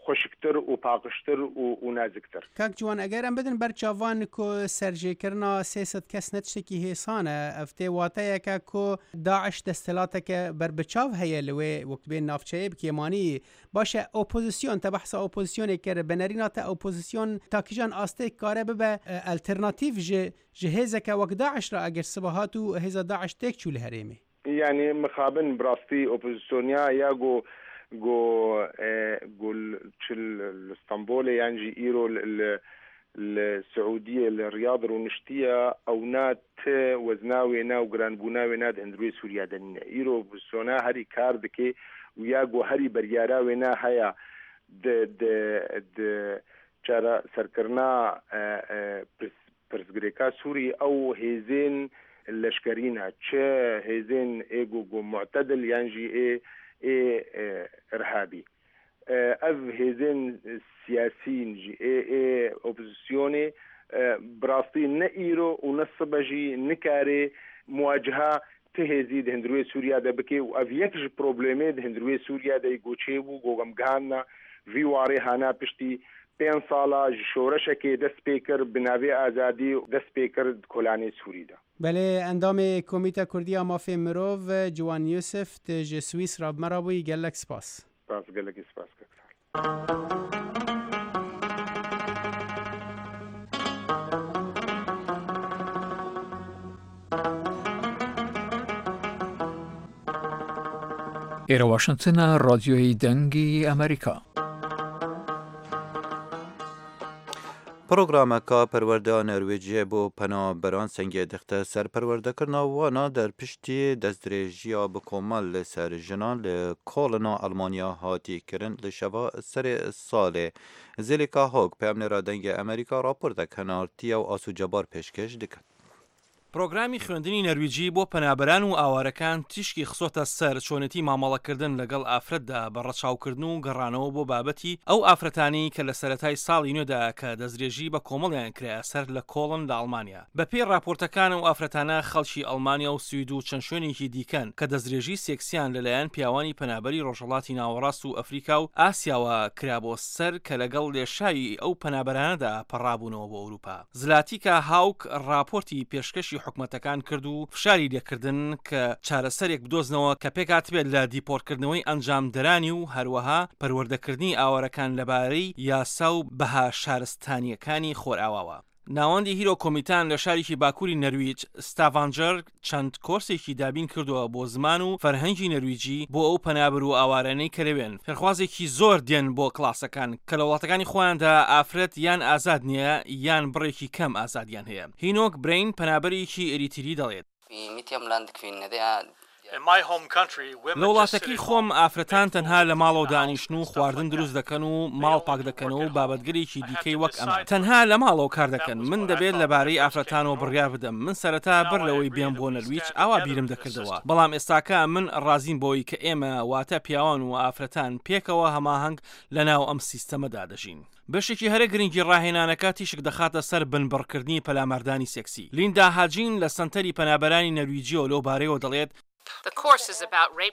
xweşiktir û paqijtir û naziktir. Kak Ciwan, eger em bidin ber çavan ku serjêkirina 300 kes ne tiştekî hêsan e, ev tê wateyeke ku DAIŞ desthilateke berbiçav heye li wê wek dibên navçeyê bi kêmanî. Baş e opozîsyon, te behsa opozîsyonê kir, bi nerîna te opozîsyon ta kîjan astê kare bibe alternatîf ji ji hêzeke wek DAIŞ re eger siba hat û hêza DAIŞ têk çû li herêmê? Yanî mixabin bi rastî opozîsyonya ya ku ku ku çi li Stenbolê yan jî îro li li Siûdiyê li Riyad rûniştiye ew na Ti wezna wêna û giranbûna wêna di hundirûyê Sûriya de nîne. Îro opozîsyona herî kar dike û ya ku herî beryara wêna heye di di di çareserkirina pirsgirêka Sûrî ew hêzên leşkerî ne, çi hêzên ê ku ku mu'tedil yan jî ê ê irhabî. Ev hêzên siyasî jî ê ê opozîsyonê bi rastî ne îro û ne sibe jî nikarê muwaciha ti hêzî di hundirûyê Sûriya de bike û ev yek ji problemê di hundirûyê Sûriya de yê ku çêbû ku em gihandina vî warê hana piştî pênc sala ji şoreşekê dest pê kir bi navê azadî dest pê kir di kolanê Sûrî de. Belê, endamê Komîta Kurdî ya Mafên Mirov Ciwan Yûsif tu ji Swîsra bi me re bûyî gelek spas. Spas gelekî spas kak Salih. ئێرە واشنتنە ڕادیۆی دەنگی ئەمریکا. Programeka perwerdeya Norwêciyê bo penaberan sengê dixte ser perwerdekirina wana der piştî destdirêjiya bi komel li ser jinan li Kolna Elmanya hatî kirin li şeva serê salê. Zêlîka Hog, peyamnêra Dengê Amerîka raportek hinartiye û Aso Cebar pêşkêş diket. پرۆگرامی خوێندنی نەرویجی بۆ پەنابەران و ئاوارەکان تیشکی خستۆتە سەر چۆنێتی مامەڵەکردن لەگەڵ ئافرەتدا بە ڕەچاوکردن و گەڕانەوە بۆ بابەتی ئەو ئافرەتانەی کە لە سەرەتای ساڵی نوێدا کە دەستدرێژی بە کۆمەڵیان کرایە سەر لە کۆڵن لە ئەڵمانیا. بەپێی ڕاپۆرتەکان ئەو ئافرەتانە خەڵکی ئەڵمانیا و سوید و چەند شوێنێکی دیکەن کە دەستدرێژی سێکسیان لەلایەن پیاوانی پەنابەری ڕۆژهەڵاتی ناوەڕاست و ئەفریکا و ئاسیاوە کرابۆ سەر کە لەگەڵ لێشاوی ئەو پەنابەرانەدا پەڕابوونەوە بۆ ئەوروپا. زلاتیکا هاوک ڕاپۆرتی پێشکەشی حکومەتەکان کرد و فشاری لێکردن کە چارەسەرێک بدۆزنەوە کە پێکهاتبێت لە دیپۆرتکردنەوەی ئەنجامدەرانی و هەروەها پەروەردەکردنی ئاوارەکان لەبارەی یاسا و بەها شارستانییەکانی خۆرئاواوە. ناوەندی هیرۆ کۆمیتان لە شارێکی باکووری نەرویج، ستاڤانجەر، چەند کۆرسێکی دابین کردووە بۆ زمان و فەرهەنگی نەرویجی بۆ ئەو پەنابەر و ئاوارانەی کە لەوێن. فێرخوازێکی زۆر دێن بۆ کڵاسەکان کە لە وڵاتەکانی خۆیاندا ئافرەت یان ئازاد نییە یان بڕێکی کەم ئازادیان هەیە. هینۆک برەین پەنابەرێکی ئێریتری دەڵێت. لە وڵاتەکەی خۆم ئافرەتان تەنها لە ماڵەوە دانیشن و خواردن دروست دەکەن و ماڵ پاک دەکەنەوە و بابەتگەلێکی دیکەی وەک ئەمە. تەنها لە ماڵەوە کار دەکەن. من دەبێت لەبارەی ئافرەتانەوە بڕیار بدەم. من سەرەتا بەر لەوەی بێم بۆ نەرویج ئاوا بیرم دەکردەوە. بەڵام ئێستاکە من ڕازیم بەوەی کە ئێمە واتە پیاوان و ئافرەتان پێکەوە هەماهەنگ لەناو ئەم سیستەمەدا دەژین. بەشێکی هەرە گرنگی ڕاهێنانەکە تیشک دەخاتە سەر بنبڕکردنی پەلاماردانی سێکسی. لیندا هاجین لە سەنتەری پەنابەرانی نەرویجییەوە لەو بارەیەوە دەڵێت،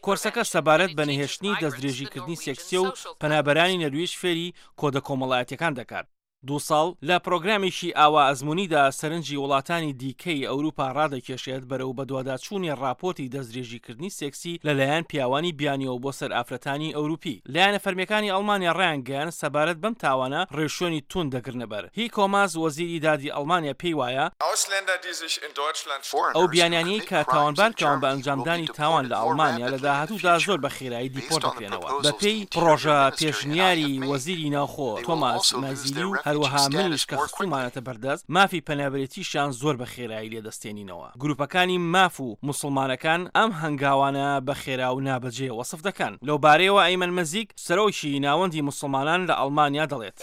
کۆرسەکە سەبارەت بە نەهێشتنی دەستدرێژیکردنی سێکسییە و پەنابەرانی نەرویج فێری کۆدە کۆمەڵایەتییەکان دەکات. دوو ساڵ لە پرۆگرامێکی ئاوا ئەزموونیدا سەرنجی وڵاتانی دیکەی ئەوروپا ڕادەکێشێت بەرەو بەدواداچوونی ڕاپۆرتی دەستدرێژیکردنی سێکسی لەلایەن پیاوانی بیانییەوە بۆ سەر ئافرەتانی ئەوروپی. لایەنە فەرمییەکانی ئەڵمانیا ڕایانگەیاند، سەبارەت بەم تاوانە ڕێوشوێنی توند دەگرنەبەر. هیکۆ ماس، وەزیری دادی ئەڵمانیا پێی وایە، ئەو بیانیانەی کە تاوانبارکراون بە ئەنجامدانی تاوان لە ئەڵمانیا لە داهاتوودا زۆر بە خێرایی دیپۆرت دەکرێنەوە، بەپێی پڕۆژە پێشنیاری وەزیری ناوخۆ تۆماس مایزیلی و هەروەها منیش کە خستوومانەتە بەردەست، مافی پەنابەرێتیشیان زۆر بە خێرایی لێدەستێنینەوە. گروپەکانی ماف و موسڵمانەکان ئەم هەنگاوانە بە خێرا و نابەجێ وەسف دەکەن. لەوبارەیەوە ئەیمەن مەزیک، سەرۆکی ناوەندی موسڵمانان لە ئەڵمانیا دەڵێت.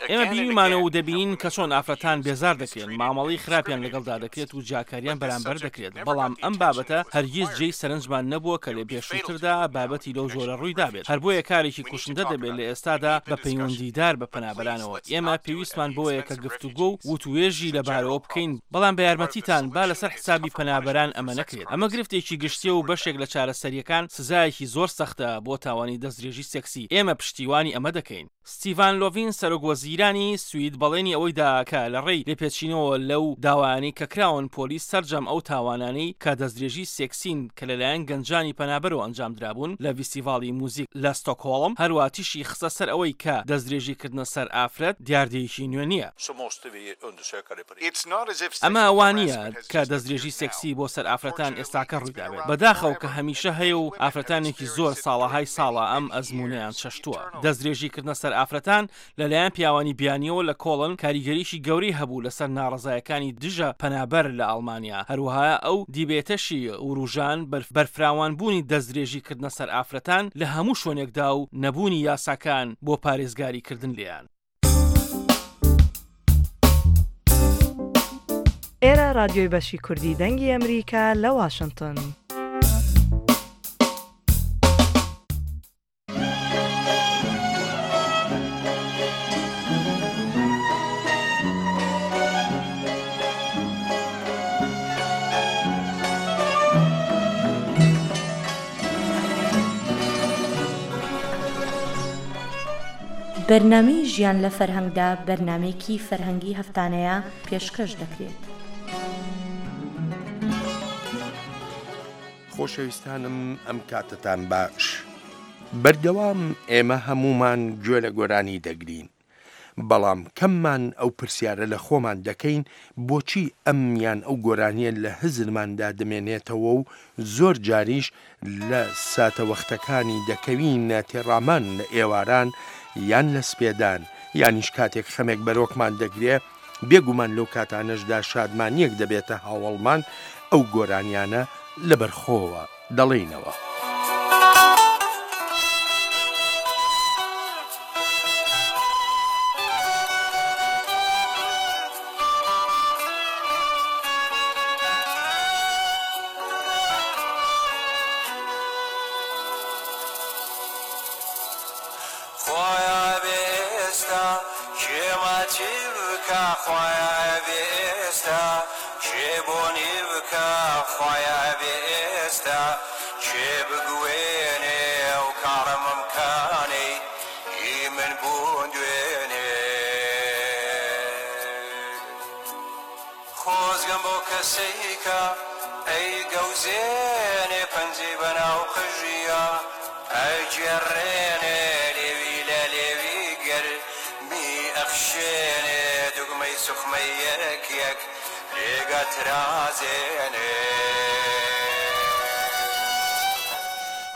ئێمە بینیومانە و دەبینین کە چۆن ئافرەتان بێزار دەکرێن، مامەڵەی خراپیان لەگەڵدا دەکرێت و جیاکارییان بەرامبەر دەکرێت، بەڵام ئەم بابەتە هەرگیز جێی سەرنجمان نەبووە کە لە پێشووتردا بابەتی لەو جۆرە ڕوویدابێت، هەر بۆیە کارێکی کوشندە دەبێت لە ئێستادا بە پەیوەندیدار بە پەنابەرانەوە، ئێمە پێویستمان بەوەیە کە گفتوگۆ و وتوێژی لەبارەوە بکەین، بەڵام بە یارمەتیتان با لەسەر حسابی پەنابەران ئەمە نەکرێت، ئەمە گرفتێکی گشتییە و بەشێک لە چارەسەرییەکان سزایەکی زۆر سەختە بۆ تاوانی دەستدرێژی سێکسی، ئێمە پشتیوانی ئەمە دەکەین. ستیڤان لۆڤین سەرۆک وەزیرانی سوید بەڵێنی ئەوەی دا کە لە ڕێی لێپێچینەوە لەو داوایانەی کە کراون پۆلیس سەرجەم ئەو تاوانانەی کە دەستدرێژی سێکسین کە لەلایەن گەنجانی پەنابەرەوە ئەنجامدرابوون لە ڤیستیڤاڵی موزیک لە ستۆکهۆڵم هەروا تیشی خستە سەر ئەوەی کە دەستدرێژی کردنە سەر ئافرەت دیاردەیەکی نوێ نییە. ئەمە وا نییە کە دەستدرێژی سێکسی بۆ سەر ئافرەتان ئێستاکە ڕوویدابێت، بەداخەوە کە هەمیشە هەیە و ئافرەتانێکی زۆر ساڵەهای ساڵە ئەم ئەزموونەیان چەشتووە. دەستدرێژی کردنە سەر ئافرەتان لەلایەن پیاوانی بیانییەوە لە کۆڵن کاریگەریی گەورەی هەبوو لەسەر ناڕەزایەکانی دژە پەنابەر لە ئەڵمانیا، هەروەها ئەو دیبێتەشی وروژان بەرفراوانبوونی دەستدرێژی کردنە سەر ئافرەتان لە هەموو شوێنێکدا و نەبوونی یاساکان بۆ پارێزگاری کردن لێیان. ئێرە ڕادیۆی بەشی کوردی دەنگی ئەمریکا لە واشنتن. بەرنامەی ژیان لە فەرهەنگدا بەرنامەیەکی فەرهەنگی هەفتانەیە پێشکەش دەکرێت. خۆشەویستانم ئەم کاتەتان باش. بەردەوام ئێمە هەموومان گوێ لە گۆرانی دەگرین، بەڵام کەممان ئەو پرسیارە لە خۆمان دەکەین بۆچی ئەم یان ئەو گۆرانیە لە هزرماندا دەمێنێتەوە و زۆر جاریش لە ساتەوەختەکانی دەکەوینە تێڕامان لە ئێواران یان لە سپێدان یانیش کاتێک خەمێک بەرۆکمان دەگرێ بێگومان لەو کاتانەشدا شادمانیەک دەبێتە هاوەڵمان ئەو گۆرانیانە لەبەرخۆوە دەڵێینەوە. خوایە ئەبێ ئێستا کێ ماچی بکا خوایە ئەبێ ئێستا کێ بۆنی بکا خوایە ئەبێ ئێستا کێ بگوێنێ ئەو کاڵە مەمکانەی هی من بوون دوێنێ. خۆزگەم بەو کەسەی کە ئەیگەوزێنێ پەنجەی بەناو قژیا ئەگێڕێنێ لێوی لە لێوی گەرمی ئەخشێنێ دوگمەی سوخمەی یەک یەک لێک ئەترازێنێ.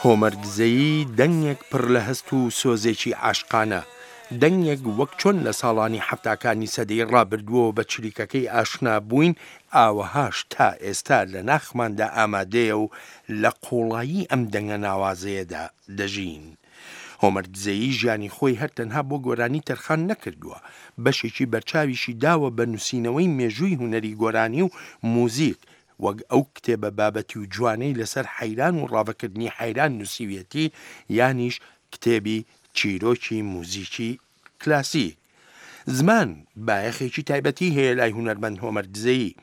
هۆمەر دزەیی دەنگێک پڕ لە هەست و سۆزێکی عاشقانە. دەنگێک وەک چۆن لە ساڵانی حەفتاکانی سەدەی ڕابردووەوە بە چریکەکەی ئاشنا بووین، ئاوەهاش تا ئێستا لە ناخماندا ئامادەیە و لە قووڵایی ئەم دەنگە ناوازەیەدا دەژین. هۆمەر دزەیی ژیانی خۆی هەر تەنها بۆ گۆرانی تەرخان نەکردووە، بەشێکی بەرچاویشی داوە بە نووسینەوەی مێژووی هونەری گۆرانی و موزیک، وەک ئەو کتێبە بابەتی و جوانەی لەسەر حەیران و ڕاڤەکردنی حەیران نووسیویەتی، یانیش کتێبی چیرۆکی موزیکی کلاسیک. زمان بایەخێکی تایبەتی هەیە لای هونەرمەند هۆمەر دزەیی.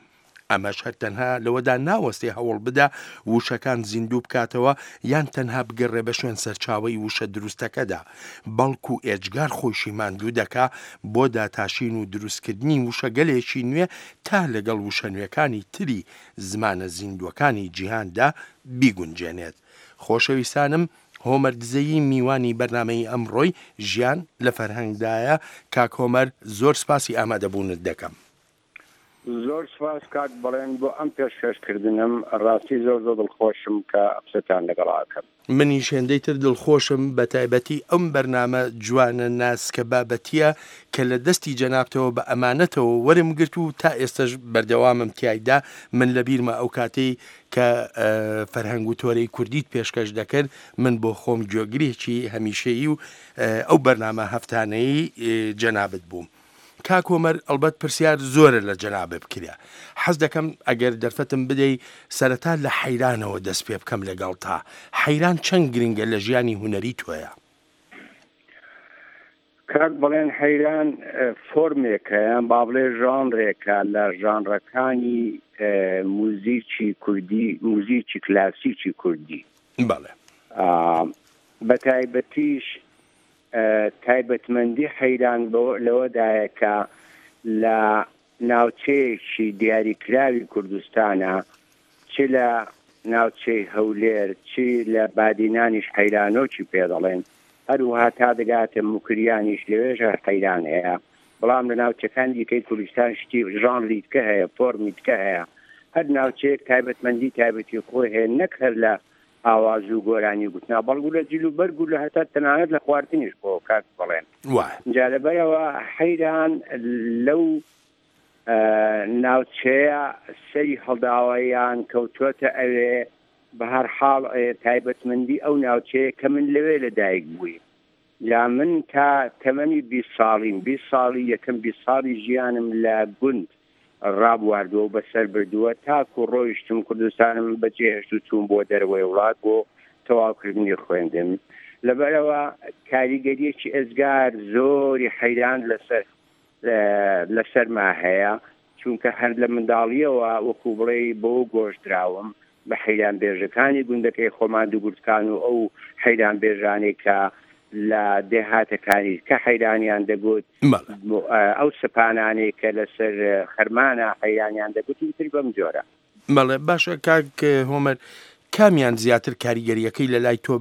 ئەمەش هەر تەنها لەوەدا ناوەستێ هەوڵ بدا وشەکان زیندوو بکاتەوە یان تەنها بگەڕێ بە شوێن سەرچاوەی وشە دروستەکەدا، بەڵکو ئێجگار خۆیشی ماندوو دەکا بۆ داتاشین و دروستکردنی وشەگەلێکی نوێ تا لەگەڵ وشە نوێکانی تری زمانە زیندووەکانی جیهاندا بیگونجێنێت. خۆشەویستانم هۆمەر دزەیی میوانی بەرنامەی ئەمڕۆی ژیان لە فەرهەنگدایە، کاک هۆمەر زۆر سپاسی ئامادەبوونت دەکەم. زۆر سوپاس کاک بەڵێن بۆ ئەم پێشکەش کردنەم ڕاستی زۆر زۆر دڵخۆشم کە قسەتان لەگەڵا ئەکەم. منیش هێندەی تر دڵخۆشم بەتایبەتی ئەم بەرنامە جوانە ناسکە بابەتیە کە لە دەستی جەنابتەوە بە ئەمانەتەوە وەرم گرت و تا ئێستەش بەردەوامم تیایدا من لە بیرمە ئەو کاتەی کە فەرهەنگ و تۆرەی کوردیت پێشکەش دەکرد من بۆ خۆم گوێگرێکی هەمیشەیی و ئەو بەرنامە هەفتانەی جەنابت بووم. کاک هۆمەر ئەڵبەت پرسیار زۆرە لە جەنابت بکرێ حەز دەکەم ئەگەر دەرفەتم بدەی سەرەتا لە حەیرانەوە دەست پێ بکەم لەگەڵتا حەیران چەند گرنگە لە ژیانی هونەری تۆیا؟ کاک بەڵێن حەیران فۆرمێکە یان با بڵێ ژانرێکە لە ژانرەکانی موزیکی کوردی موزیکی کلاسیکی کوردی. بەڵێ. بە تایبەتیش تایبەتمەندی حەیران لەوەدایە کە لە ناوچەیەکی دیاریکراوی کوردستانە، چ لە ناوچەی هەولێر، چ لە بادینانیش حەیرانۆکی پێ دەڵێن، هەروەها تا دەگاتە موکریانیش لەوێش هەر حەیران هەیە، بەڵام لە ناوچەکانی دیکەی کوردستان شتی ژانری دیکە هەیە، فۆرمی دیکە هەیە، هەر ناوچەیەک تایبەتمەندی تایبەتی خۆی هەیە، نەک هەر لە ئاواز و گۆرانی گوتنا بەڵگو لە جل و بەرگ و لە هەتا تەنانەت لە خواردنیش بۆ کاک بەڵێن جا لەبەرەوە حەیران لەو ناوچەیە سەری هەڵداوە یان کەوتوەتە ئەوێ بە هەر حاڵ تایبەتمەندی ئەو ناوچەیە کە من لەوێ لە دایک بوویم جا من تا تەمەنی 20 ساڵیم 20 ساڵی یەکەم 20 ساڵی ژیانم لە گوند ڕابواردووە و بەسەر بردووە تاکو ڕۆیشتم کوردستانم بەجێهێشت و چووم بۆ دەرەوەی وڵات بۆ تەواوکردنی خوێندن لەبەرەوە کاریگەریەکی ئێجگار زۆری حەیران لەسەر لەسەرما هەیە چونکە هەر لە منداڵیەوە وەکو بڵێ بۆ گۆشدراوم بە حەیران بێژەکانی گوندەکەی خۆمان دوگورتکان و ئەو حەیران بێژانەی کە لە دێهاتەکانی کە حەیرانیان دەگوت ئەو سەپانانەی کە لەسەر خەرمانە حەیرانیان دەگوت و ئیتر بەم جۆرە. بەڵێ باشە کاک هۆمەر کامیان زیاتر کاریگەریەکەی لە لای تۆ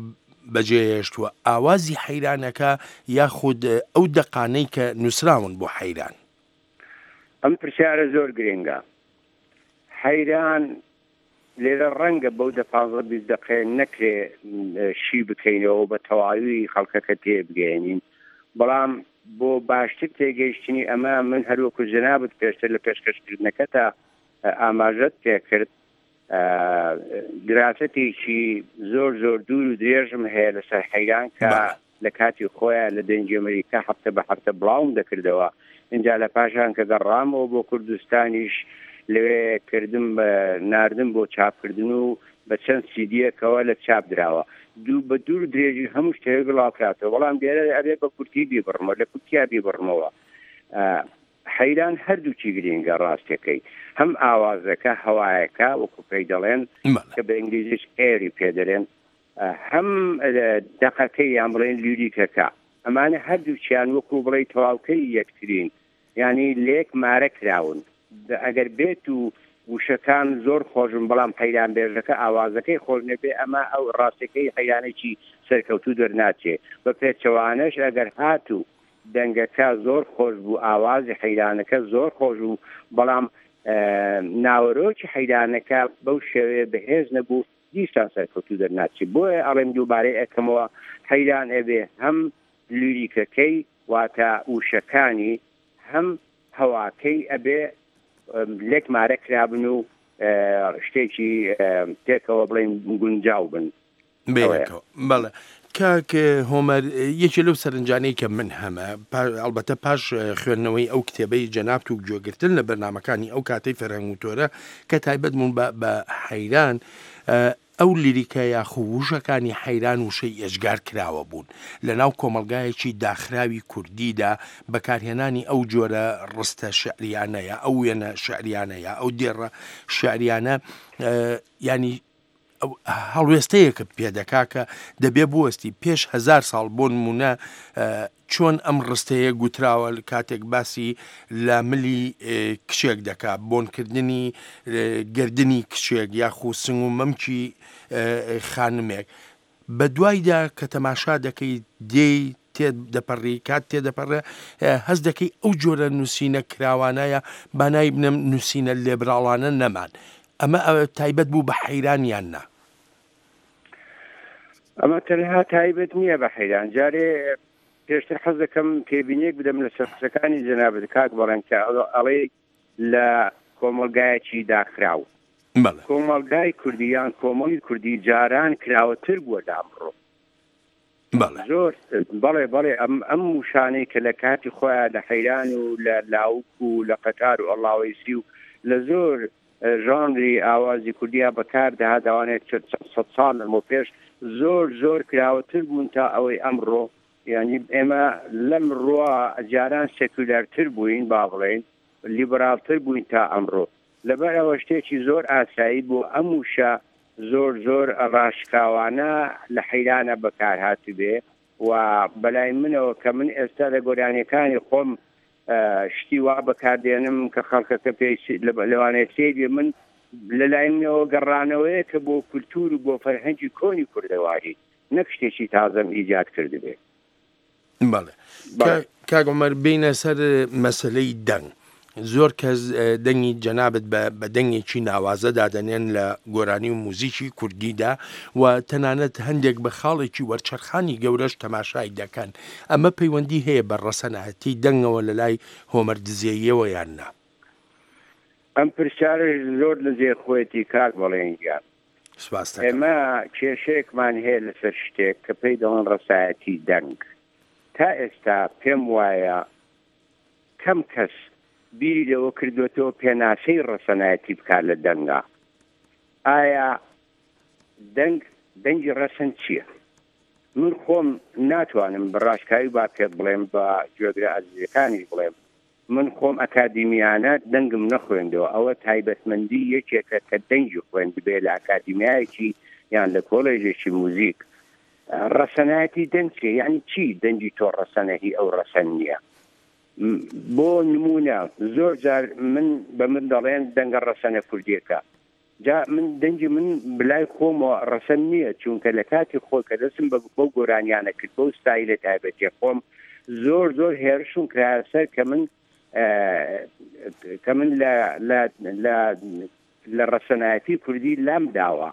بەجێهێشتووە ئاوازی حەیرانەکە یاخود ئەو دەقانەی کە نووسراون بۆ حەیران؟ ئەم پرسیارە زۆر گرنگە. حەیران لێرە ڕەنگە بەو دە پانزە 20 دەقەیە نەکرێ شی بکەینەوە و بە تەواوی خەڵکەکە تێبگەیەنین بەڵام بۆ باشتر تێگەیشتنی ئەمە من هەروەکو جەنابت پێشتر لە پێشکەشکردنەکەتا ئاماژەت پێکرد دراسەتێکی زۆر زۆر دوور و درێژم هەیە لەسەر حەیران کە لە کاتی خۆیان لە دەنگی ئەمریکا هەفتە بە هەفتە بڵاوم دەکردەوە ئینجا لە پاشان کە گەڕامەوە بۆ کوردستانیش لەوێ کردم بە ناردم بۆ چاپکردن و بە چەند سیدیەکەوە لە چاپ دراوە دوو بە دوور درێژی هەموو شتێک بڵاوکراتەوە بەڵام لێرە ئەبێ بە کورتی بیبڕمەوە لە کورتیا بیبڕمەوە حەیران هەردووکی گرینگە ڕاستەکەی هەم ئاوازەکە هەوایەکە وەکو پێی دەڵێن کە بە ئینگلیزیش ئێری پێ دەڵێن هەم دەقەکەی یان بڵێن لیریکەکە ئەمانە هەردووکیان وەکو بڵێی تەواوکەری یەکترین یانی لێک مارە کراون ئەگەر بێت و وشەکان زۆر خۆشن بەڵام حەیران بێژەکە ئاوازەکەی خۆش نەبێ ئەمە ئەو ڕاستەکەی حەیرانێکی سەرکەوتوو دەرناچێ بە پێچەوانەش ئەگەر هاتوو دەنگەکە زۆر خۆش بوو ئاوازی حەیرانەکە زۆر خۆش بوو بەڵام ناوەرۆکی حەیرانەکە بەو شێوەیە بەهێز نەبوو دیسان سەرکەوتوو دەرناچێ بۆیە ئەڵێم دووبارەی ئەکەمەوە حەیران ئەبێ هەم لیریکەکەی واتە وشەکانی هەم هەواکەی ئەبێ لێک مارە کرابن و شتێکی پێکەوە بڵێن گونجاو بن. بەیەکەوە بەڵێ کاک هۆمەر یەکێ لەو سەرنجانەی کە من هەمە ئەڵبەتە پاش خوێندنەوەی ئەو کتێبەی جەنابت و گوێگرتن لە بەرنمەکانی ئەو کاتەی فەرهەنگ و تۆرە کە تایبەت بوون بە حەیران ئەو لیریکە یاخو وشەکانی حەیران وشەی ئێجگار کراوە بوون. لە ناو کۆمەڵگایەکی داخراوی کوردیدا بەکارهێنانی ئەو جۆرە ڕستە شیعریانە یا ئەو وێنە شیعریانە یا ئەو دێڕە شیعریانە یانی هەڵوێستەیەکت پێ دەکا کە دەبێ بوەستی پێش هەزار ساڵ بۆ نموونە چۆن ئەم ڕستەیە گوتراوە کاتێک باسی لە ملی کچێک دەکا بۆنکردنی گردنی کچێک یاخو سنگ و مەمکی خانمێک بە دوایدا کە تەماشا دەکەی دێی تێ دەپەڕی کات تێدەپەڕێ هەست دەکەی ئەو جۆرە نووسینە کراوانەیە بانای بنەم نووسینە لێبراڵانە نەمان ئەمە تایبەت بوو بە حەیران یان نا؟ ئەمە تەنها تایبەت نییە بە حەیران جارێ پێشتر حەز دەکەم تێبینیەک بدەم لەسەر قسەکانی جەنابت کاک بەڵێن کە ئەڵێ لە کۆمەڵگایەکی داخراو کۆمەڵگای کوردی یان کۆمەڵی کوردی جاران کراوەتر بووە لامڕۆ زۆر بەڵێ بەڵێ ئەم ئەم وشانەی کە لە کاتی خۆیان لە حەیران و لە لاوک و لە قەتار و ئەڵاوەیسی و لە زۆر ژانری ئاوازی کوردیا بەکار دەهات ئەوانەیە چەند سەد ساڵ لەمەو پێش زۆر زۆر کراوەتر بوون تا ئەوەی ئەمڕۆ یانی ئێمە لەم ڕوە جاران سێکولارتر بووین با بڵێین لیبراڵتر بووین تا ئەمڕۆ لەبەر ئەوە شتێکی زۆر ئاسایی بوو ئەم وشە زۆر زۆر ڕاشکاوانە لە حەیرانە بەکار هاتبێ و بەلای منەوە کە من ئێستا لە گۆرانیەکانی خۆم شتی وا بەکاردێنم کە خەڵکەکە پێی لەوانەیە سەیر بێ من لە لای منەوە گەڕانەوەیە کە بۆ کولتوور و بۆ فەرهەنگی کۆنی کوردەواری نەک شتێکی تازەم ئیجاد کردبێ. بەڵێ کاک عومەر بێینە سەر مەسەلەی دەنگ زۆر کەس دەنگی جەنابت بە دەنگێکی ناوازە دادەنێن لە گۆرانی و موزیکی کوردیدا و تەنانەت هەندێک بە خاڵێکی وەرچەرخانی گەورەش تەماشای دەکەن ئەمە پەیوەندی هەیە بە ڕەسەنایەتی دەنگەوە لە لای هۆمەر دزێیەوە یان نا؟ ئەم پرسیارەش زۆر لە جێ خۆیەتی کاک بەڵێن گیان. سپاست دەکەم. ئێمە کێشەیەکمان هەیە لەسەر شتێک کە پێی دەڵێن ڕەسایەتی دەنگ. تا ئێستا پێم وایە کەم کەس بیری لەوە کردوێتەوە پێناسەی ڕەسەنایەتی بکات لە دەنگا. ئایا دەنگ دەنگی ڕەسەن چییە؟ من خۆم ناتوانم بە ڕاشکاوی با پێت بڵێم بە گوێگرە ئازیزەکانیش بڵێم من خۆم ئەکادیمیانە دەنگم نەخوێندەوە ئەوە تایبەتمەندی یەکێکە کە دەنگی خوێندبێ لە ئەکادیمیایەکی یان لە کۆلێژێکی موزیک ڕەسەنایەتی دەنگ چیە یعنی چی دەنگی تۆ ڕەسەنە هی ئەو ڕەسەن نییە بۆ نمونە زۆر جار من بە من دەڵێن دەنگە ڕەسەنە کوردیەکە جا من دەنگی من بلای خۆمەوە ڕەسەن نییە چونکە لە کاتی خۆ کە دەستم بە بەو گۆرانیانە کرد بەو ستایلە تایبەتیە خۆم زۆر زۆر هێرشم کرایە سەر کە من کە من لە لە لە لە ڕەسەنایەتی کوردی لام داوە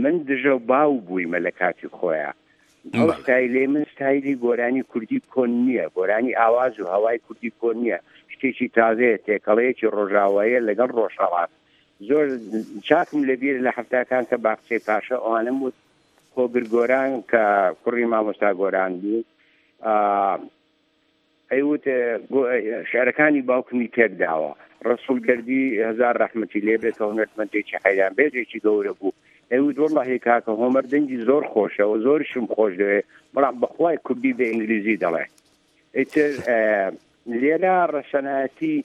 من دژە باو بوویمە لە کاتی خۆیان ئەو ستایلەی من ستایلی گۆرانی کوردی کۆن نییە گۆرانی ئاواز و هەوای کوردی کۆن نییە شتێکی تازەیە تێکەڵەیەکی ڕۆژاوایە لەگەڵ ڕۆژهەڵات زۆر چاکم لەبیر لە حەفتاکان کە باخچەی پاشا ئەوانم وت خۆگر گۆران کە کوڕی مامۆستا گۆران بوو ئەیوت شعرەکانی باوکمی تێک داوە ڕسوول گەردی هزار ڕەحمەتی لێ بێت کە هونەرمەندێکی حەیران بێژێکی گەورە بوو ئەیوت وەڵڵاهی کاکە هۆمەر دەنگی زۆر خۆشە و زۆریشم خۆش دەوێ بەڵام بەخوای کوردی بە ئینگلیزی دەڵێ ئیتر لێرە ڕەسەنایەتی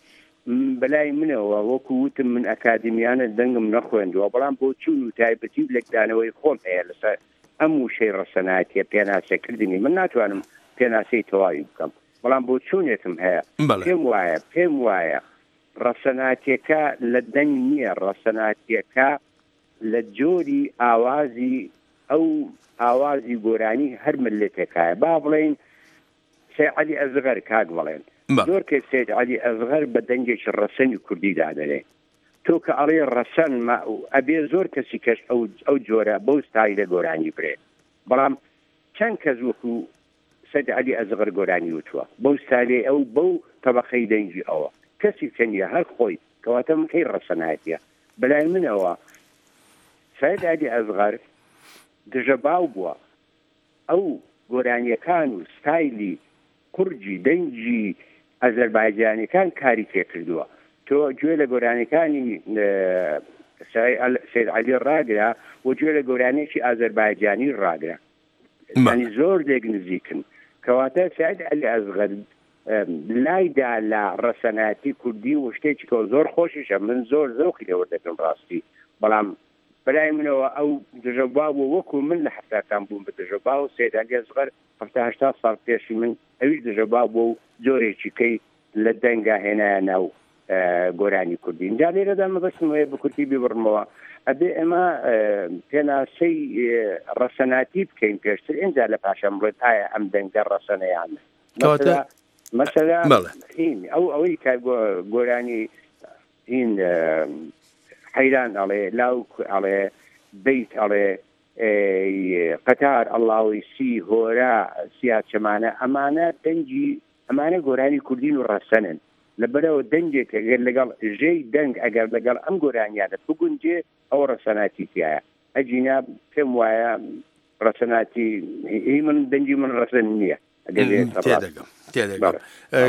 بەلای منەوە وەکو وتم من ئەکادیمیانە دەنگم نەخوێندووە بەڵام بۆچوون و تایبەتی و لێکدانەوەی خۆم هەیە لەسەر ئەم وشەی ڕەسەنایەتیە پێناسەکردنی من ناتوانم پێناسەی تەواوی بکەم بەڵام بۆچوونێکم هەیە پێم وایە پێم وایە ڕەسەناتیەکە لە دەنگ نییە ڕەسەناتیەکە لە جۆری ئاوازی ئەو ئاوازی گۆرانی هەر مللەتێکایە با بڵێین سەید عەلی ئەسغەر کاک بەڵێن زۆر کەس سەید عەلی ئەسغەر بە دەنگێکی ڕەسەنی کوردی دادەنێ تۆ کە ئەڵێ ڕەسەن ئەبێ زۆر کەسی کەش ئەو ئەو جۆرە بەو ستایلە گۆرانی برێ بەڵام چەند کەس وەکو. سەید عەلی ئەسغەر گۆرانی وتووە بەو ستایلەی ئەو بەو تەبەقەی دەنگی ئەوە کەسی کە نییە هەر خۆی کەواتە من کەی ڕەسەنایەتیە بەلای منەوە سەید عەلی ئەسغەر دژە باو بووە ئەو گۆرانیەکان و ستایلی قورگی دەنگی ئازەربایجانیەکان کاری تێکردووە تۆ گوێ لە گۆرانیەکانی سید عەلی ڕاگرە و گوێ لە گۆرانیەکی ئازەربایجانی ڕاگرە ینی زۆر لێک نزیکن کەواتە سید عەلی ئەسغەر لایدا لە ڕەسەنایەتی کوردی و شتێکی کە زۆر خۆشیشە من زۆر زەوقی لێوەردەگرم ڕاستی بەڵام بەلای منەوە ئەو دژە باو بوو وەکو من لە حەفتاکان بووم بە دژە باو سید عەلی ئەسغەر حەفتا هەشتا ساڵ پێشی من ئەویش دژە باو بووە و جۆرێکی کەی لە دەنگا هێنایە ناو گۆرانی کوردی اینجا لێرەدا مەبەستم هەیە بە کورتی بیبڕمەوە ئەبێ ئێمە پێناسەی ڕەسەناتی بکەین پێشتر ئینجا لە پاشان بڵێت ئایا ئەم دەنگە ڕەسەنە یان نا. کەواتە مەسەلا بەڵێ. هین ئەو ئەوەی کە گۆرانی هین حەیران ئەڵێ لاوک ئەڵێ بەیت ئەڵێ قەتار ئەڵاوی سی هۆرا سیاچەمانە ئەمانە دەنگی ئەمانە گۆرانی کوردین و ڕەسەنن لەبەرەوە دەنگێک ئەگەر لەگەڵ ژێی دەنگ ئەگەر لەگەڵ ئەم گۆرانیانە بگونجێ ئەوە ڕەسەناتی تایە ئەگینا پێم وایە ڕەسەناتی هی من دەنگی من ڕەسەن نییە. تێدەگەم تێدەگەم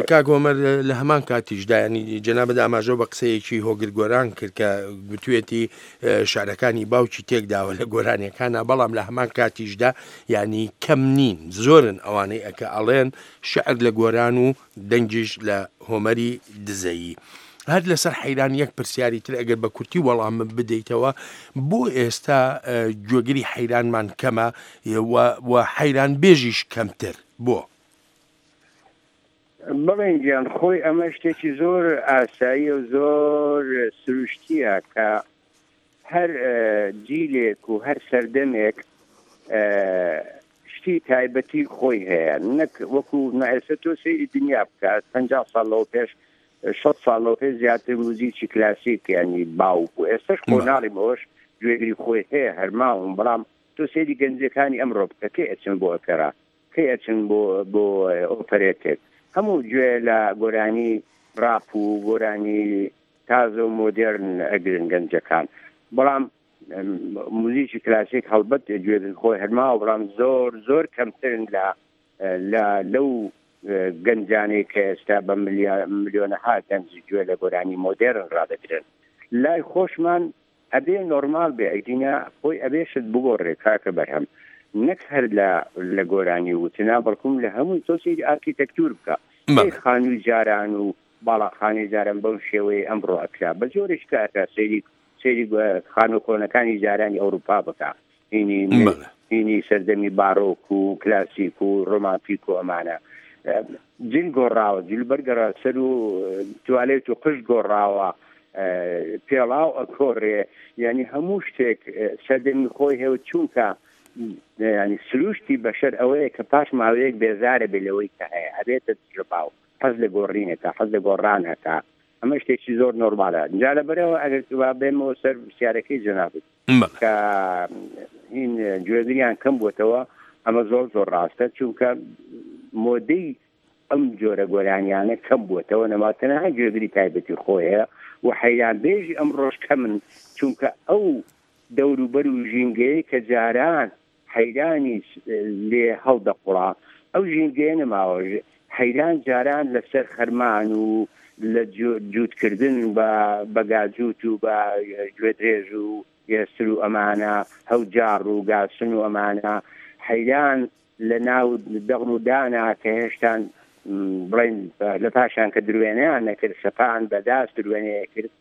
کاک هۆمەر لە هەمان کاتیشدا ینی جەنابت ئاماژە بە قسەیەکی هۆگر گۆران کرد کە گوتوێتی شعرەکانی باوکی تێکداوە لە گۆرانیەکانە بەڵام لە هەمان کاتیشدا ینی کەم نین زۆرن ئەوانەی ئەکە ئەڵێن شعر لە گۆران و دەنگیش لە هۆمەری دزەیی. هەر لەسەر حەیران یەک پرسیاری تر ئەگەر بە کورتی وەڵام بدەیتەوە بۆ ئێستا گوێگری حەیرانمان کەمە و حەیران بێژیش کەمتر بۆ؟ بەڵێن گیان خۆی ئەمە شتێکی زۆر ئاساییە و زۆر سروشتیە کە هەر جیلێک و هەر سەردەمێک شتی تایبەتی خۆی هەیە نەک وەکو ئێستا تۆ سەیری دنیا بکە 50 ساڵ لەوە پێش 6 ساڵ لەوە پێش زیاتر موزیکی کلاسیک ینی باو بوو ئێستش خۆ ناڵیم ئەوەش گوێگری خۆی هەیە هەرماوم بەڵام تۆ سەیری گەنجەکانی ئەمڕۆ بکە کەی ئەچن بۆ ئۆپێرا کەی ئەچن بۆ بۆ ئۆپەرێتێک هەموو گوێ لە گۆرانی ڕاپ و گۆرانی تازە و مۆدێرن ئەگرن گەنجەکان بەڵام موزیکی کلاسیک هەڵبەت گوێگر خۆی هەرماوە بەڵام زۆر زۆر کەمترن لە لە لەو گەنجانەی کە ئێستا بە ملیۆنەها گەنج گوێ لە گۆرانی مۆدێرن ڕادەگرن لای خۆشمان ئەبێ نۆرماڵ بێ ئەگینا خۆی ئەبێ شت بگۆڕێ کاکە بەرهەم نەک هەر لە لە گۆرانی وتنا بەڵکم لە هەمووی تۆ سەیری ئارکیتەکتور بکە بەڵێ. خانووی جاران و باڵاخانەی جاران بەو شێوەیەی ئەمڕۆ ئەکرا بە جۆرێک کە ئەکرا سەیری سەیری خانوو کۆنەکانی جارانی ئەوروپا بکە هینی بەڵێ. هینی سەردەمی بارۆک و کلاسیک و ڕۆمانتیک و ئەمانە جل گۆڕاوە جل بەرگەڕا سەر و توالێت و قژ گۆڕاوە پێڵاو ئەکۆڕێ یعنی هەموو شتێک سەردەمی خۆی هەیە و چونکە ینی سروشتی بەشەر ئەوەیە کە پاش ماوەیەک بێزارە بێ لەوەی کە هەیە ئەبێتە دژەباو حەز لە گۆڕینەکە حەز لە گۆڕانەکە ئەمە شتێکی زۆر نۆرمالە جا لەبەرەوە ئەگەر وا بێمەوە سەر پرسیارەکەی جەنابت کە هین گوێگریان کەم بووتەوە ئەمە زۆر زۆر ڕاستە چونکە مۆدەی ئەم جۆرە گۆرانیانە کەم بووەتەوە نەما تەنها گوێگری تایبەتی خۆیە و حەیران بێژی ئەمڕۆش کەمن چونکە ئەو دەوروبەر و ژینگەیە کە جاران حەیرانی لێ هەڵدەقوڵا ئەو ژینگەیە نەماوە حەیران جاران لەسەر خەرمان و لە جووتکردن بە بە گاجووت و بە گوێدرێژ و ئێستر و ئەمانە هەوجاڕ و گاسن و ئەمانە حەیران لە ناو دەغڵ و دانا کە هێشتان بڵێن لە پاشان کە دروێنەیان نەکرد سەپان بە داس دروێنەیە کرد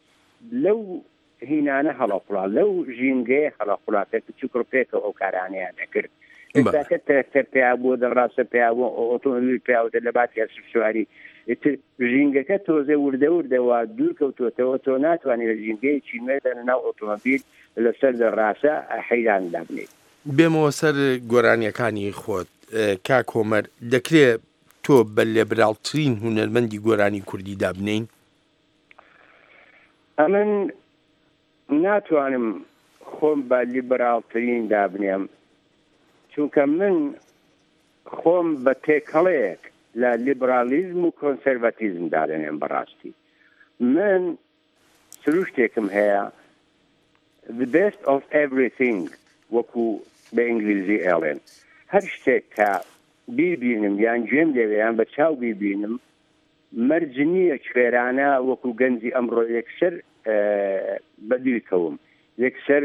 لەو هینانە هەڵەقوڵا لەو ژینگەیە هەڵەقوڵا کە کچ و کوڕ پێکەوە ئەو کارانەیان دەکرد ئێستاکە ترەکتەر پیا بووە دەڕاستە پیا بووە ئۆتۆمۆبیل پیاوتە لە باتی ئەسپ سواری ئیتر ژینگەکە تۆزێ وردە وردە وا دوور کەوتووەتەوە تۆ ناتوانانی لە ژینگەیەکی نوێدا لە ناو ئۆتۆمۆبیل لەسەر دەڕاسە حەیران دابنێیت. بێمەوە سەر گۆرانیەکانی خۆت کاک هۆمەر دەکرێ تۆ بە لێبراڵترین هونەرمەندی گۆرانی کوردی دابنێین؟ ئەمن ناتوانم خۆم بە لیبراڵترین دابنێم چونکە من. خۆم بە تێکەڵەیەک لە لیبرالیزم و کۆنسەرڤاتیزم دادەنێم بەڕاستی من سروشتێکم هەیە the best of everything وەکو بە ئینگلیزی ئێڵێن هەر شتێک کە بیبینم یان گوێم لێوێ یان بە چاو بیبینم مەرج نییە کوێرانە وەکو گەنجی ئەمڕۆ یەکسەر بەدووی کەوم یەکسەر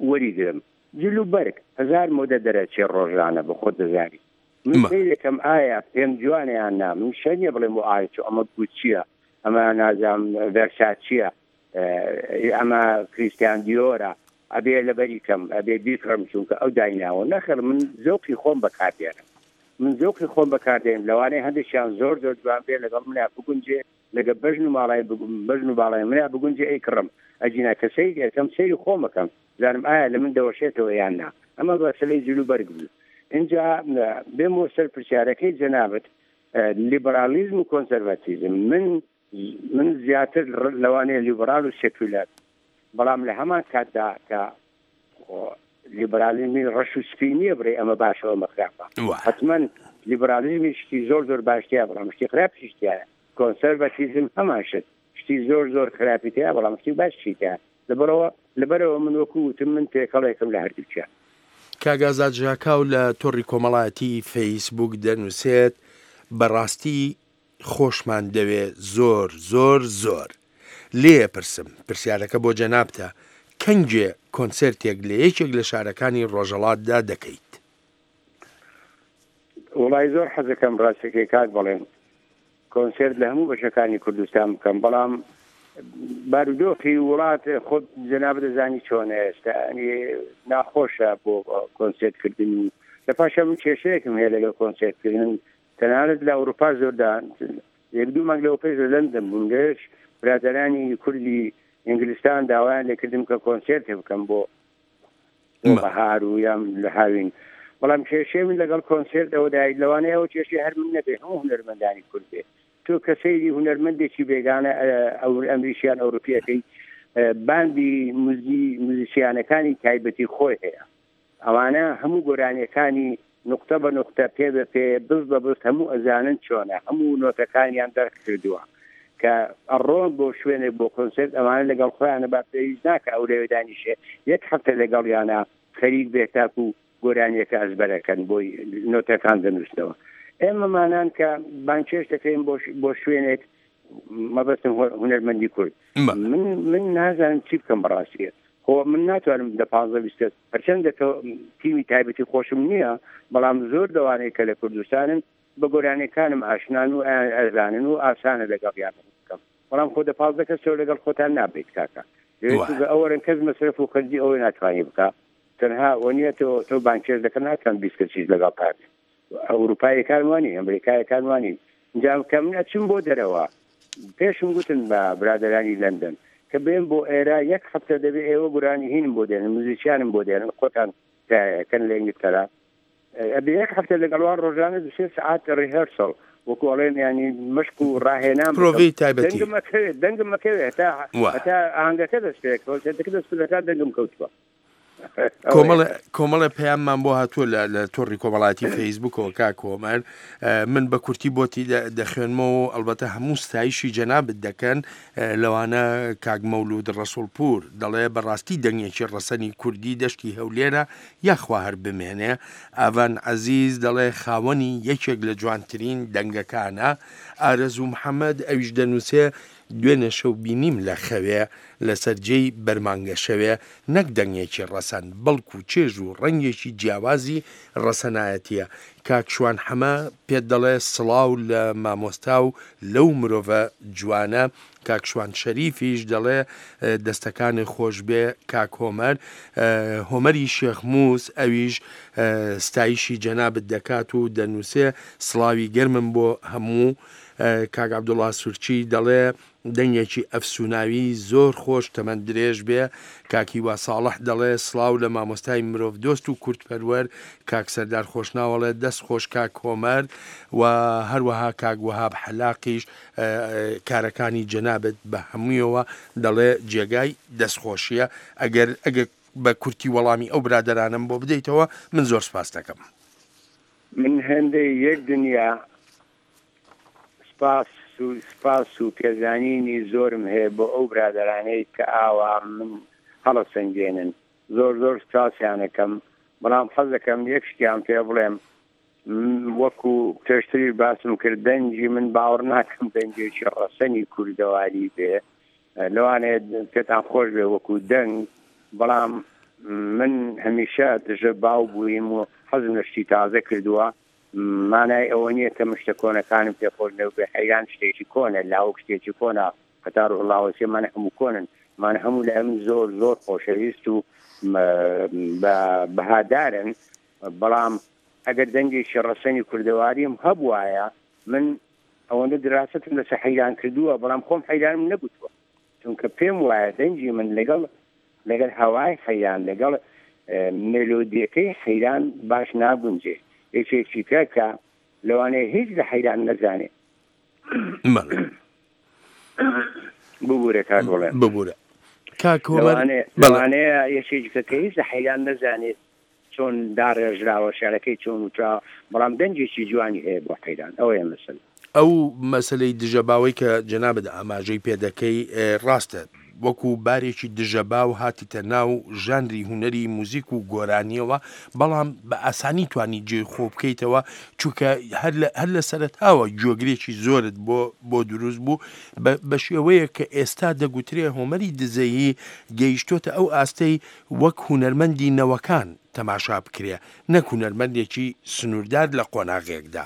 وەریگرم جل و بەرگ هەزار مۆدە دەرەچێ ڕۆژانە بە خۆت دەزانی من سەیرەکەم ئایا پێم جوانە یان نا من شەر نییە بڵێم بۆ ئایا چۆ ئەمە گوچیە ئەمە نازام ڤێرساچیە ئەمە کریستیان دیۆرە ئەبێ لەبەری کەم ئەبێ بیکڕم چونکە ئەو دایناوە نەخێر من زەوقی خۆم بەکاردێنم من زەوقی خۆم بەکاردێنم لەوانەیە هەندێکیان زۆر زۆر جوان بێ لەگەڵ منا بگونجێ لەگە بەژن و ماڵای بەژن و باڵای منا بگونجێ ئەیکڕم ئەگینا کە سەیری ئەکەم سەیری خۆم ئەکەم زانم ئایا لە من دەوەشێتەوە یان نا ئەمە مەسەلەی جل و بەرگ بوو ئینجا بێمەوە سەر پرسیارەکەی جەنابت لیبرالیزم و کۆنسەرڤاتیزم من من زیاتر لەوانەیە لیبرال و سێکولەر بەڵام لە هەمان کاتدا کە لیبرالیزمی ڕەش و سپی نییە بڕێ ئەمە باشە ئەمە خراپە حتمما لیبرالیزمی شتی زۆر زۆر باشتیا بەڵام شتی خراپیش تیایە کۆنسەرڤاتیزم هەمان شت شتی زۆر زۆر خراپی تیا بەڵام شتی باشی تیا لەبەرەوە لەبەرەوە من وەکو وتم من تێکەڵێکم لە هەردووکیان. کاک ئازاد ژاکاو لە تۆڕی کۆمەڵایەتی فەیسبووک دەنووسێت، بەڕاستی خۆشمان دەوێ زۆر زۆر زۆر. لێ پرسم، پرسیارەکە بۆ جەنابتە، کەنگێ کۆنسێرتێک لە یەکێک لە شارەکانی ڕۆژەڵاتدا دەکەیت؟ وەڵای زۆر حەزەکەم ڕاستەکەی کاک بەڵێن کۆنسێرت لە هەموو بەشەکانی کوردستان بکەم بەڵام بارودۆخی وڵات خۆت جەنابت دەزانی چۆنە ئێستا ینی ناخۆشە بۆ کۆنسێرت کردن و لە پاشا من کێشەیەکم هەیە لەگەڵ کۆنسێرت کردن تەنانەت لە ئەوروپا زۆردا یەک دوو مانگ لەوە پێش لە لەندەن بووم لەوێش برادەرانی کوردی ئینگلستان داوایان لێکردم کە کۆنسێرتێ بکەم بۆ بۆ بەهار و یان لە هاوین بەڵام کێشەی من لەگەڵ کۆنسێرت ئەوەدای لەوانەیە ئەو کێشەی هەر من نەبێ هەموو هونەرمەندانی کورد بێ تۆ کە سەیری هونەرمەندێکی بێگانە ئەو ئەمریکیان ئەوروپیەکەی باندی موزی موزیسیانەکانی تایبەتی خۆی هەیە ئەوانە هەموو گۆرانیەکانی نوقتە بە نوقتە پێ بە پێ بز بە بز هەموو ئەزانن چۆنە هەموو نۆتەکانیان دەرک کردووە کە ئەڕۆن بۆ شوێنێک بۆ کۆنسێرت ئەوانە لەگەڵ خۆیانە با پێویست ناکە ئەو لەوێ دانیشێ یەک هەفتە لەگەڵیانە خەریک بێت تاکو گۆرانیەکە ئەزبەرەکەن بۆی نۆتەکان دەنووسنەوە ئێمەمانان کە بانگهێشت دەکرێن بۆ شوێنێک مەبەستم هونەرمەندی کورد من من نازانم چی بکەم بەڕاستیە خۆ من ناتوانم دە پانزە 20 کەس هەرچەندە تۆ تیمی تایبەتی خۆشم نییە بەڵام زۆر لەوانەیە کە لە کوردستانن بە گۆرانیەکانم ئاشنان و ئەزانن و ئاسانە لەگەڵیان بکەم بەڵام خۆ دە 15 کەس تۆ لەگەڵ خۆتان نابیت کاکە لەوێ ئەوەرن کەس مەسرەف و خەرجی ئەوەی ناتوانانی بکە تەنها وەنیە تۆ تۆ بانکێش دەکەن ناتوان 20 کەسیش لەگەڵ تان ئەوروپایەکان وانی ئەمریکایەکان وانی جا کە من ئەچم بۆ دەرەوە پێشم گوتن بە برادەرانی لەندەن کە بێم بۆ ئێرە یەک هەفتە دەبێ ئێوە گورانی هینم بۆ دێنن موزیسیانم بۆ دێنن خۆتان کەن لە ئینگلتەرا ئەبێ یەک هەفتە لەگەڵوان ڕۆژانە دو سێ سەعات ڕیهێرسڵ وەکو ئەڵێن ینی مشک و ڕاهێنان پرۆڤەی تایبەتی دەنگم ئەکەوێت دەنگم ئەکەوێت هەتا هەتا ئاهەنگەکە دەست پێ کۆنسێرتەکە دەست پێ دەکات دەنگم کەوتووە کۆمەڵێ کۆمەڵێ پەیاممان بۆ هاتووە لە لە تۆڕی کۆمەڵایەتی فەیسبوکەوە کاک هۆمەر من بە کورتی بۆتی دەخوێنمەوە ئەلبەتە هەموو ستایشی جەنابت دەکەن لەوانە کاک مەولود ڕەسوڵپور دەڵێ بەڕاستی دەنگێکی ڕەسەنی کوردی دەشتی هەولێرە یاخوا هەر بمێنێ ئاڤان عەزیز دەڵێ خاوەنی یەکێک لە جوانترین دەنگەکانە ئارەزوو محەمەد ئەویش دەنووسێ دوێنێ شەو بینیم لە خەوێ لەسەر جێی بەرمانگەشەوێ نەک دەنگێکی ڕەسەن، بەڵکو چێژ و ڕەنگێکی جیاوازی ڕەسەنایەتییە. کاک شوان حەمە پێت دەڵێ سڵاو لە مامۆستا و لەو مرۆڤە جوانە. کاک شوان شەریفیش دەڵێ دەستەکانت خۆشبێ کاک هۆمەر. هۆمەری شێخ موس ئەویش ستایشی جەنابت دەکات و دەنووسێ سڵاوی گەرمم بۆ هەموو. کاک عەبدوڵا سورچی دەڵێ دەنگێکی ئەفسوناوی زۆر خۆش تەمەن درێژ بێ کاک هیوا ساڵح دەڵێ سڵاو لە مامۆستای مرۆڤ دۆست و کورد پەروەر کاک سەردار خۆشناو ئەڵێ دەست خۆش کاک هۆمەر و هەروەها کاک وەهاب حەلاقیش کارەکانی جەنابت بە هەموویەوە دەڵێ جێگای دەست خۆشیە ئەگەر ئەگەر بە کورتی وەڵامی ئەو برادەرانەم بۆ بدەیتەوە من زۆر سپاست دەکەم. من. هێندەی یەک دنیا سپاس و سپاس و پێزانینی زۆرم هەیە بۆ ئەو برادەرانەی کە ئاوا من هەڵەسەنگێنن زۆر زۆر سپاسیان ئەکەم بەڵام حەز دەکەم یەک شتیان پێ بڵێم وەکو پێشتریش باسم کرد دەنگی من باوەڕ ناکەم دەنگێکی ڕەسەنی کوردەواری بێ لەوانەیە پێتان خۆش بێ وەکو دەنگ بەڵام من هەمیشە دژە باو بوویم و حەزم لە شتی تازە کردووە مانای ئەوە نییە کە من شتە کۆنەکانم پێ خۆش نەبێ حەیران شتێکی کۆنە لاوک شتێکی کۆنە هەتا ڕوحوڵاوەسیە مانە هەموو کۆنن مانە هەموو لای من زۆر زۆر خۆشەویست و بە بەهادارن بەڵام ئەگەر دەنگێکی ڕەسەنی کوردەواریم هەبوایە من ئەوەندە دراستم لەسەر حەیران کردووە بەڵام خۆم حەیرانم نەگوتووە چونکە پێم وایە دەنگی من لەگەڵ لەگەڵ هەوای حەیران لەگەڵ مێلۆدیەکەی حەیران باش ناگونجێ یەکێکی کە کە لەوانەیە هیچ لە حەیران نەزانێ ببورە کاک بڵێن ببورە کاک هۆمەر لەوانەیە یەکێکی کە کە هیچ لە حەیران نەزانێت چۆن داڕێژراوە شعرەکەی چۆن وتراوە بەڵام دەنگێکی جوانی هەیە بۆ حەیران ئەوەیە مەسەلە. ئەو مەسەلەی دژەباوەی کە جەنابت ئاماژەی پێ دەکەی ڕاستە وەکو بارێکی دژەباو هاتیتە ناو ژانری هونەری موزیک و گۆرانیەوە بەڵام بە ئاسانی توانی جێی خۆ بکەیتەوە چونکە هەر لە هەر لە سەرەتاوە گوێگرێکی زۆرت بۆ بۆ دروست بوو بە شێوەیەک کە ئێستا دەگوترێ هۆمەری دزەیی گەیشتۆتە ئەو ئاستەی وەک هونەرمەندی نەوەکان تەماشا بکرێ نەک هونەرمەندێکی سنووردار لە قۆناغێکدا.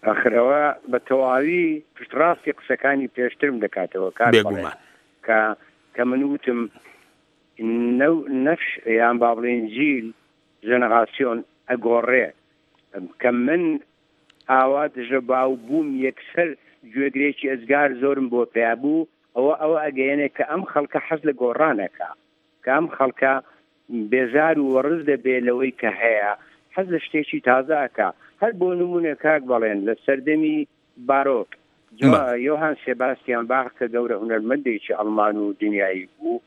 ئاخر ئەوە بە تەواوی پشتڕاستی قسەکانی پێشترم دەکاتەوە کاک بەڵێن بێگومان. کە کە من وتم نەو نەفش یان با بڵێین جیل ژەنەراسیۆن ئەگۆڕێ کە من ئاوا دژە باو بووم یەکسەر گوێگرێکی ئێجگار زۆرم بۆ پەیا بوو ئەوە ئەوە ئەگەیەنێ کە ئەم خەڵکە حەز لە گۆڕان ئەکا کە ئەم خەڵکە بێزار و وەڕز دەبێ لەوەی کە هەیە حەز لە شتێکی تازە ئەکا هەر بۆ نموونە کاک بەڵێن لە سەردەمی بارۆک یۆهان سێباستیان باخ کە گەورە هونەرمەندێکی ئەڵمان و دنیایی بوو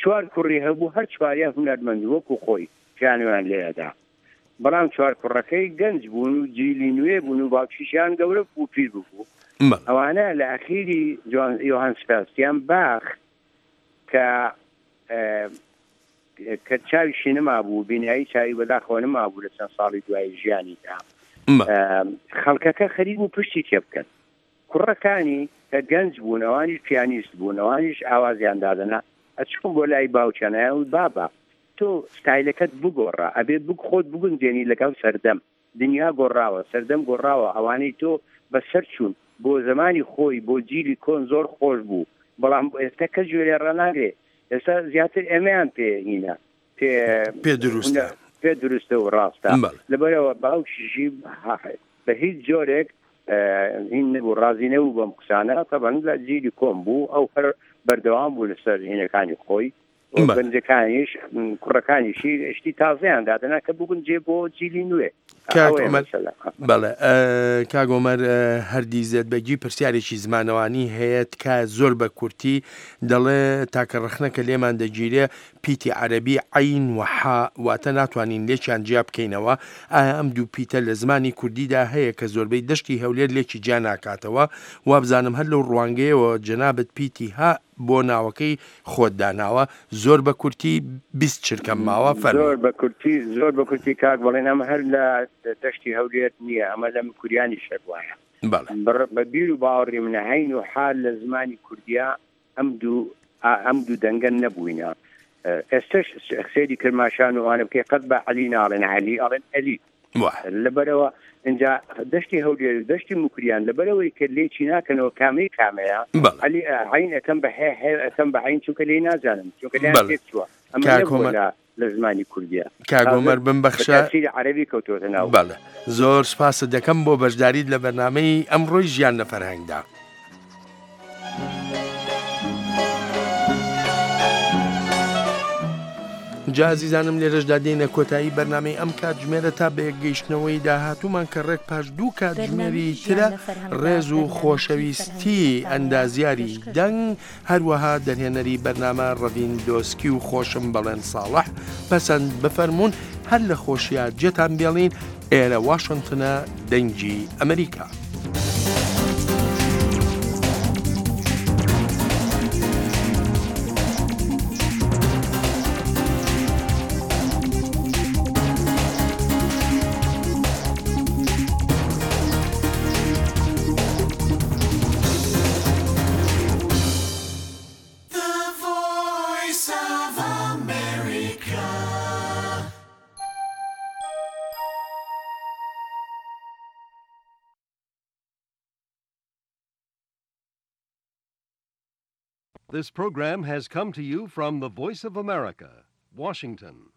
چوار کوڕی هەبوو هەر چواریان هونەرمەند وەکو خۆی پیانۆیان لێ ئەدا بەڵام چوار کوڕەکەی گەنج بوون و جیلی نوێ بوون و باوکیشیان گەورە بوو پیر ببوو ئەوانە لە ئەخیری یۆهان سباستیان باخ کە کە چاویشی نەمابوو بینایی چاوی بەداخەوە نەمابوو لە چەند ساڵی دوای ژیانیدا خەڵکەکە خەریک بوو پشتی تێ بکەن کوڕەکانی کە گەنج بوون ئەوانیش پیانیست بوون ئەوانیش ئاوازیان دادەنا ئەچوون بۆ لای باوکیان ئەیان بابا تۆ ستایلەکەت بگۆڕە ئەبێ بگ خۆت بگونجێنی لەگەڵ سەردەم دنیا گۆڕاوە سەردەم گۆڕاوە ئەوانەی تۆ بەسەر چوون بۆ زەمانی خۆی بۆ جیلی کۆن زۆر خۆش بوو بەڵام ئێستا کەس گوێ لێ ڕاناگرێ ئێستا زیاتر ئێمەیان پێ هینە پێ پێ دروستە پێ دروستە و ڕاستە لەبەرەوە باوکیشی بە هیچ جۆرێک هین نەبوو ڕازی نەبوو بەم قسانە تەبەن لە جیلی کۆن بوو ئەو هەر بەردەوام بوو لەسەر هینەکانی خۆی گەنجەکانیش کوڕەکانیشی شتی تازەیان دادەنا کە بگونجێ بۆ جیلی نوێ بەڵێ کاک عومەر هەردی زێدبەگی پرسیارێکی زمانەوانی هەیە تکایە زۆر بە کورتی دەڵێ تاکە ڕەخنە کە لێمان دەگیرێ پیتی عەرەبی عەین و حا واتە ناتوانین لێکیان جیا بکەینەوە ئایا ئەم دوو پیتە لە زمانی کوردیدا هەیە کە زۆربەی دەشتی هەولێر لێکی جیا ناکاتەوە وابزانم هەر لەو ڕوانگەیەوە جەنابت پیتی ها بۆ ناوەکەی خۆت داناوە زۆر بە کورتی 20 چرکەم ماوە فەرموو. زۆر بە کورتی زۆر بە کورتی کاک بەڵێن ئەمە هەر لە دەشتی هەولێر نییە ئەمە لە مکوریانیش هەر وایە بەڵێ. بە بیر و باوەڕی من عەین و حال لە زمانی کوردیا ئەم دوو ئەم دوو دەنگە نەبووینە ئێستش سەیری کرماشان و ئەوانە بکەی قەت بە عەلی ناڵێن عەلی ئەڵێن ئەلی لەبەرەوە اینجا دەشتی هەولێر و دەشتی موکریان لەبەرەوەی کە لێکی ناکەنەوە کامەی کامەیە عەلی عەین ئەکەم بە هێ هێ ئەکەم بە عەین چونکە لێی نازانم چونکە لێیان تێک چووە ئەمە نەبووە لە لە زمانی کوردیە کاک عومەر بمبەخشە تەئسیری عەرەبی کەوتۆتە ناو. بەڵێ زۆر سپاست دەکەم بۆ بەشداریت لە بەرنامەی ئەمڕۆی ژیان لە فەرهەنگدا. جا ئازیزانم لێرەشدا دێینە کۆتایی بەرنامەی ئەم کاتژمێرە تا بەیەکگەیشتنەوەی داهاتوومان کە ڕێک پاش دوو کاتژمێری بەرنامەی ژیان ترە لە فەرهەنگدا ڕێز و بەرنامەیەکی فەرهەنگی خۆشەویستی کوردستانەیە ئەندازیاری پێشکەش دەنگ هەروەها دەرهێنەری بەرنامە ڕەڤین دۆسکی و خۆشم بەڵێن ساڵح پەسەند بفەرموون. هەر لە خۆشیا جێتان بێڵین، ئێرە واشنتنە دەنگی ئەمریکا. This program has come to you from the Voice of America, Washington.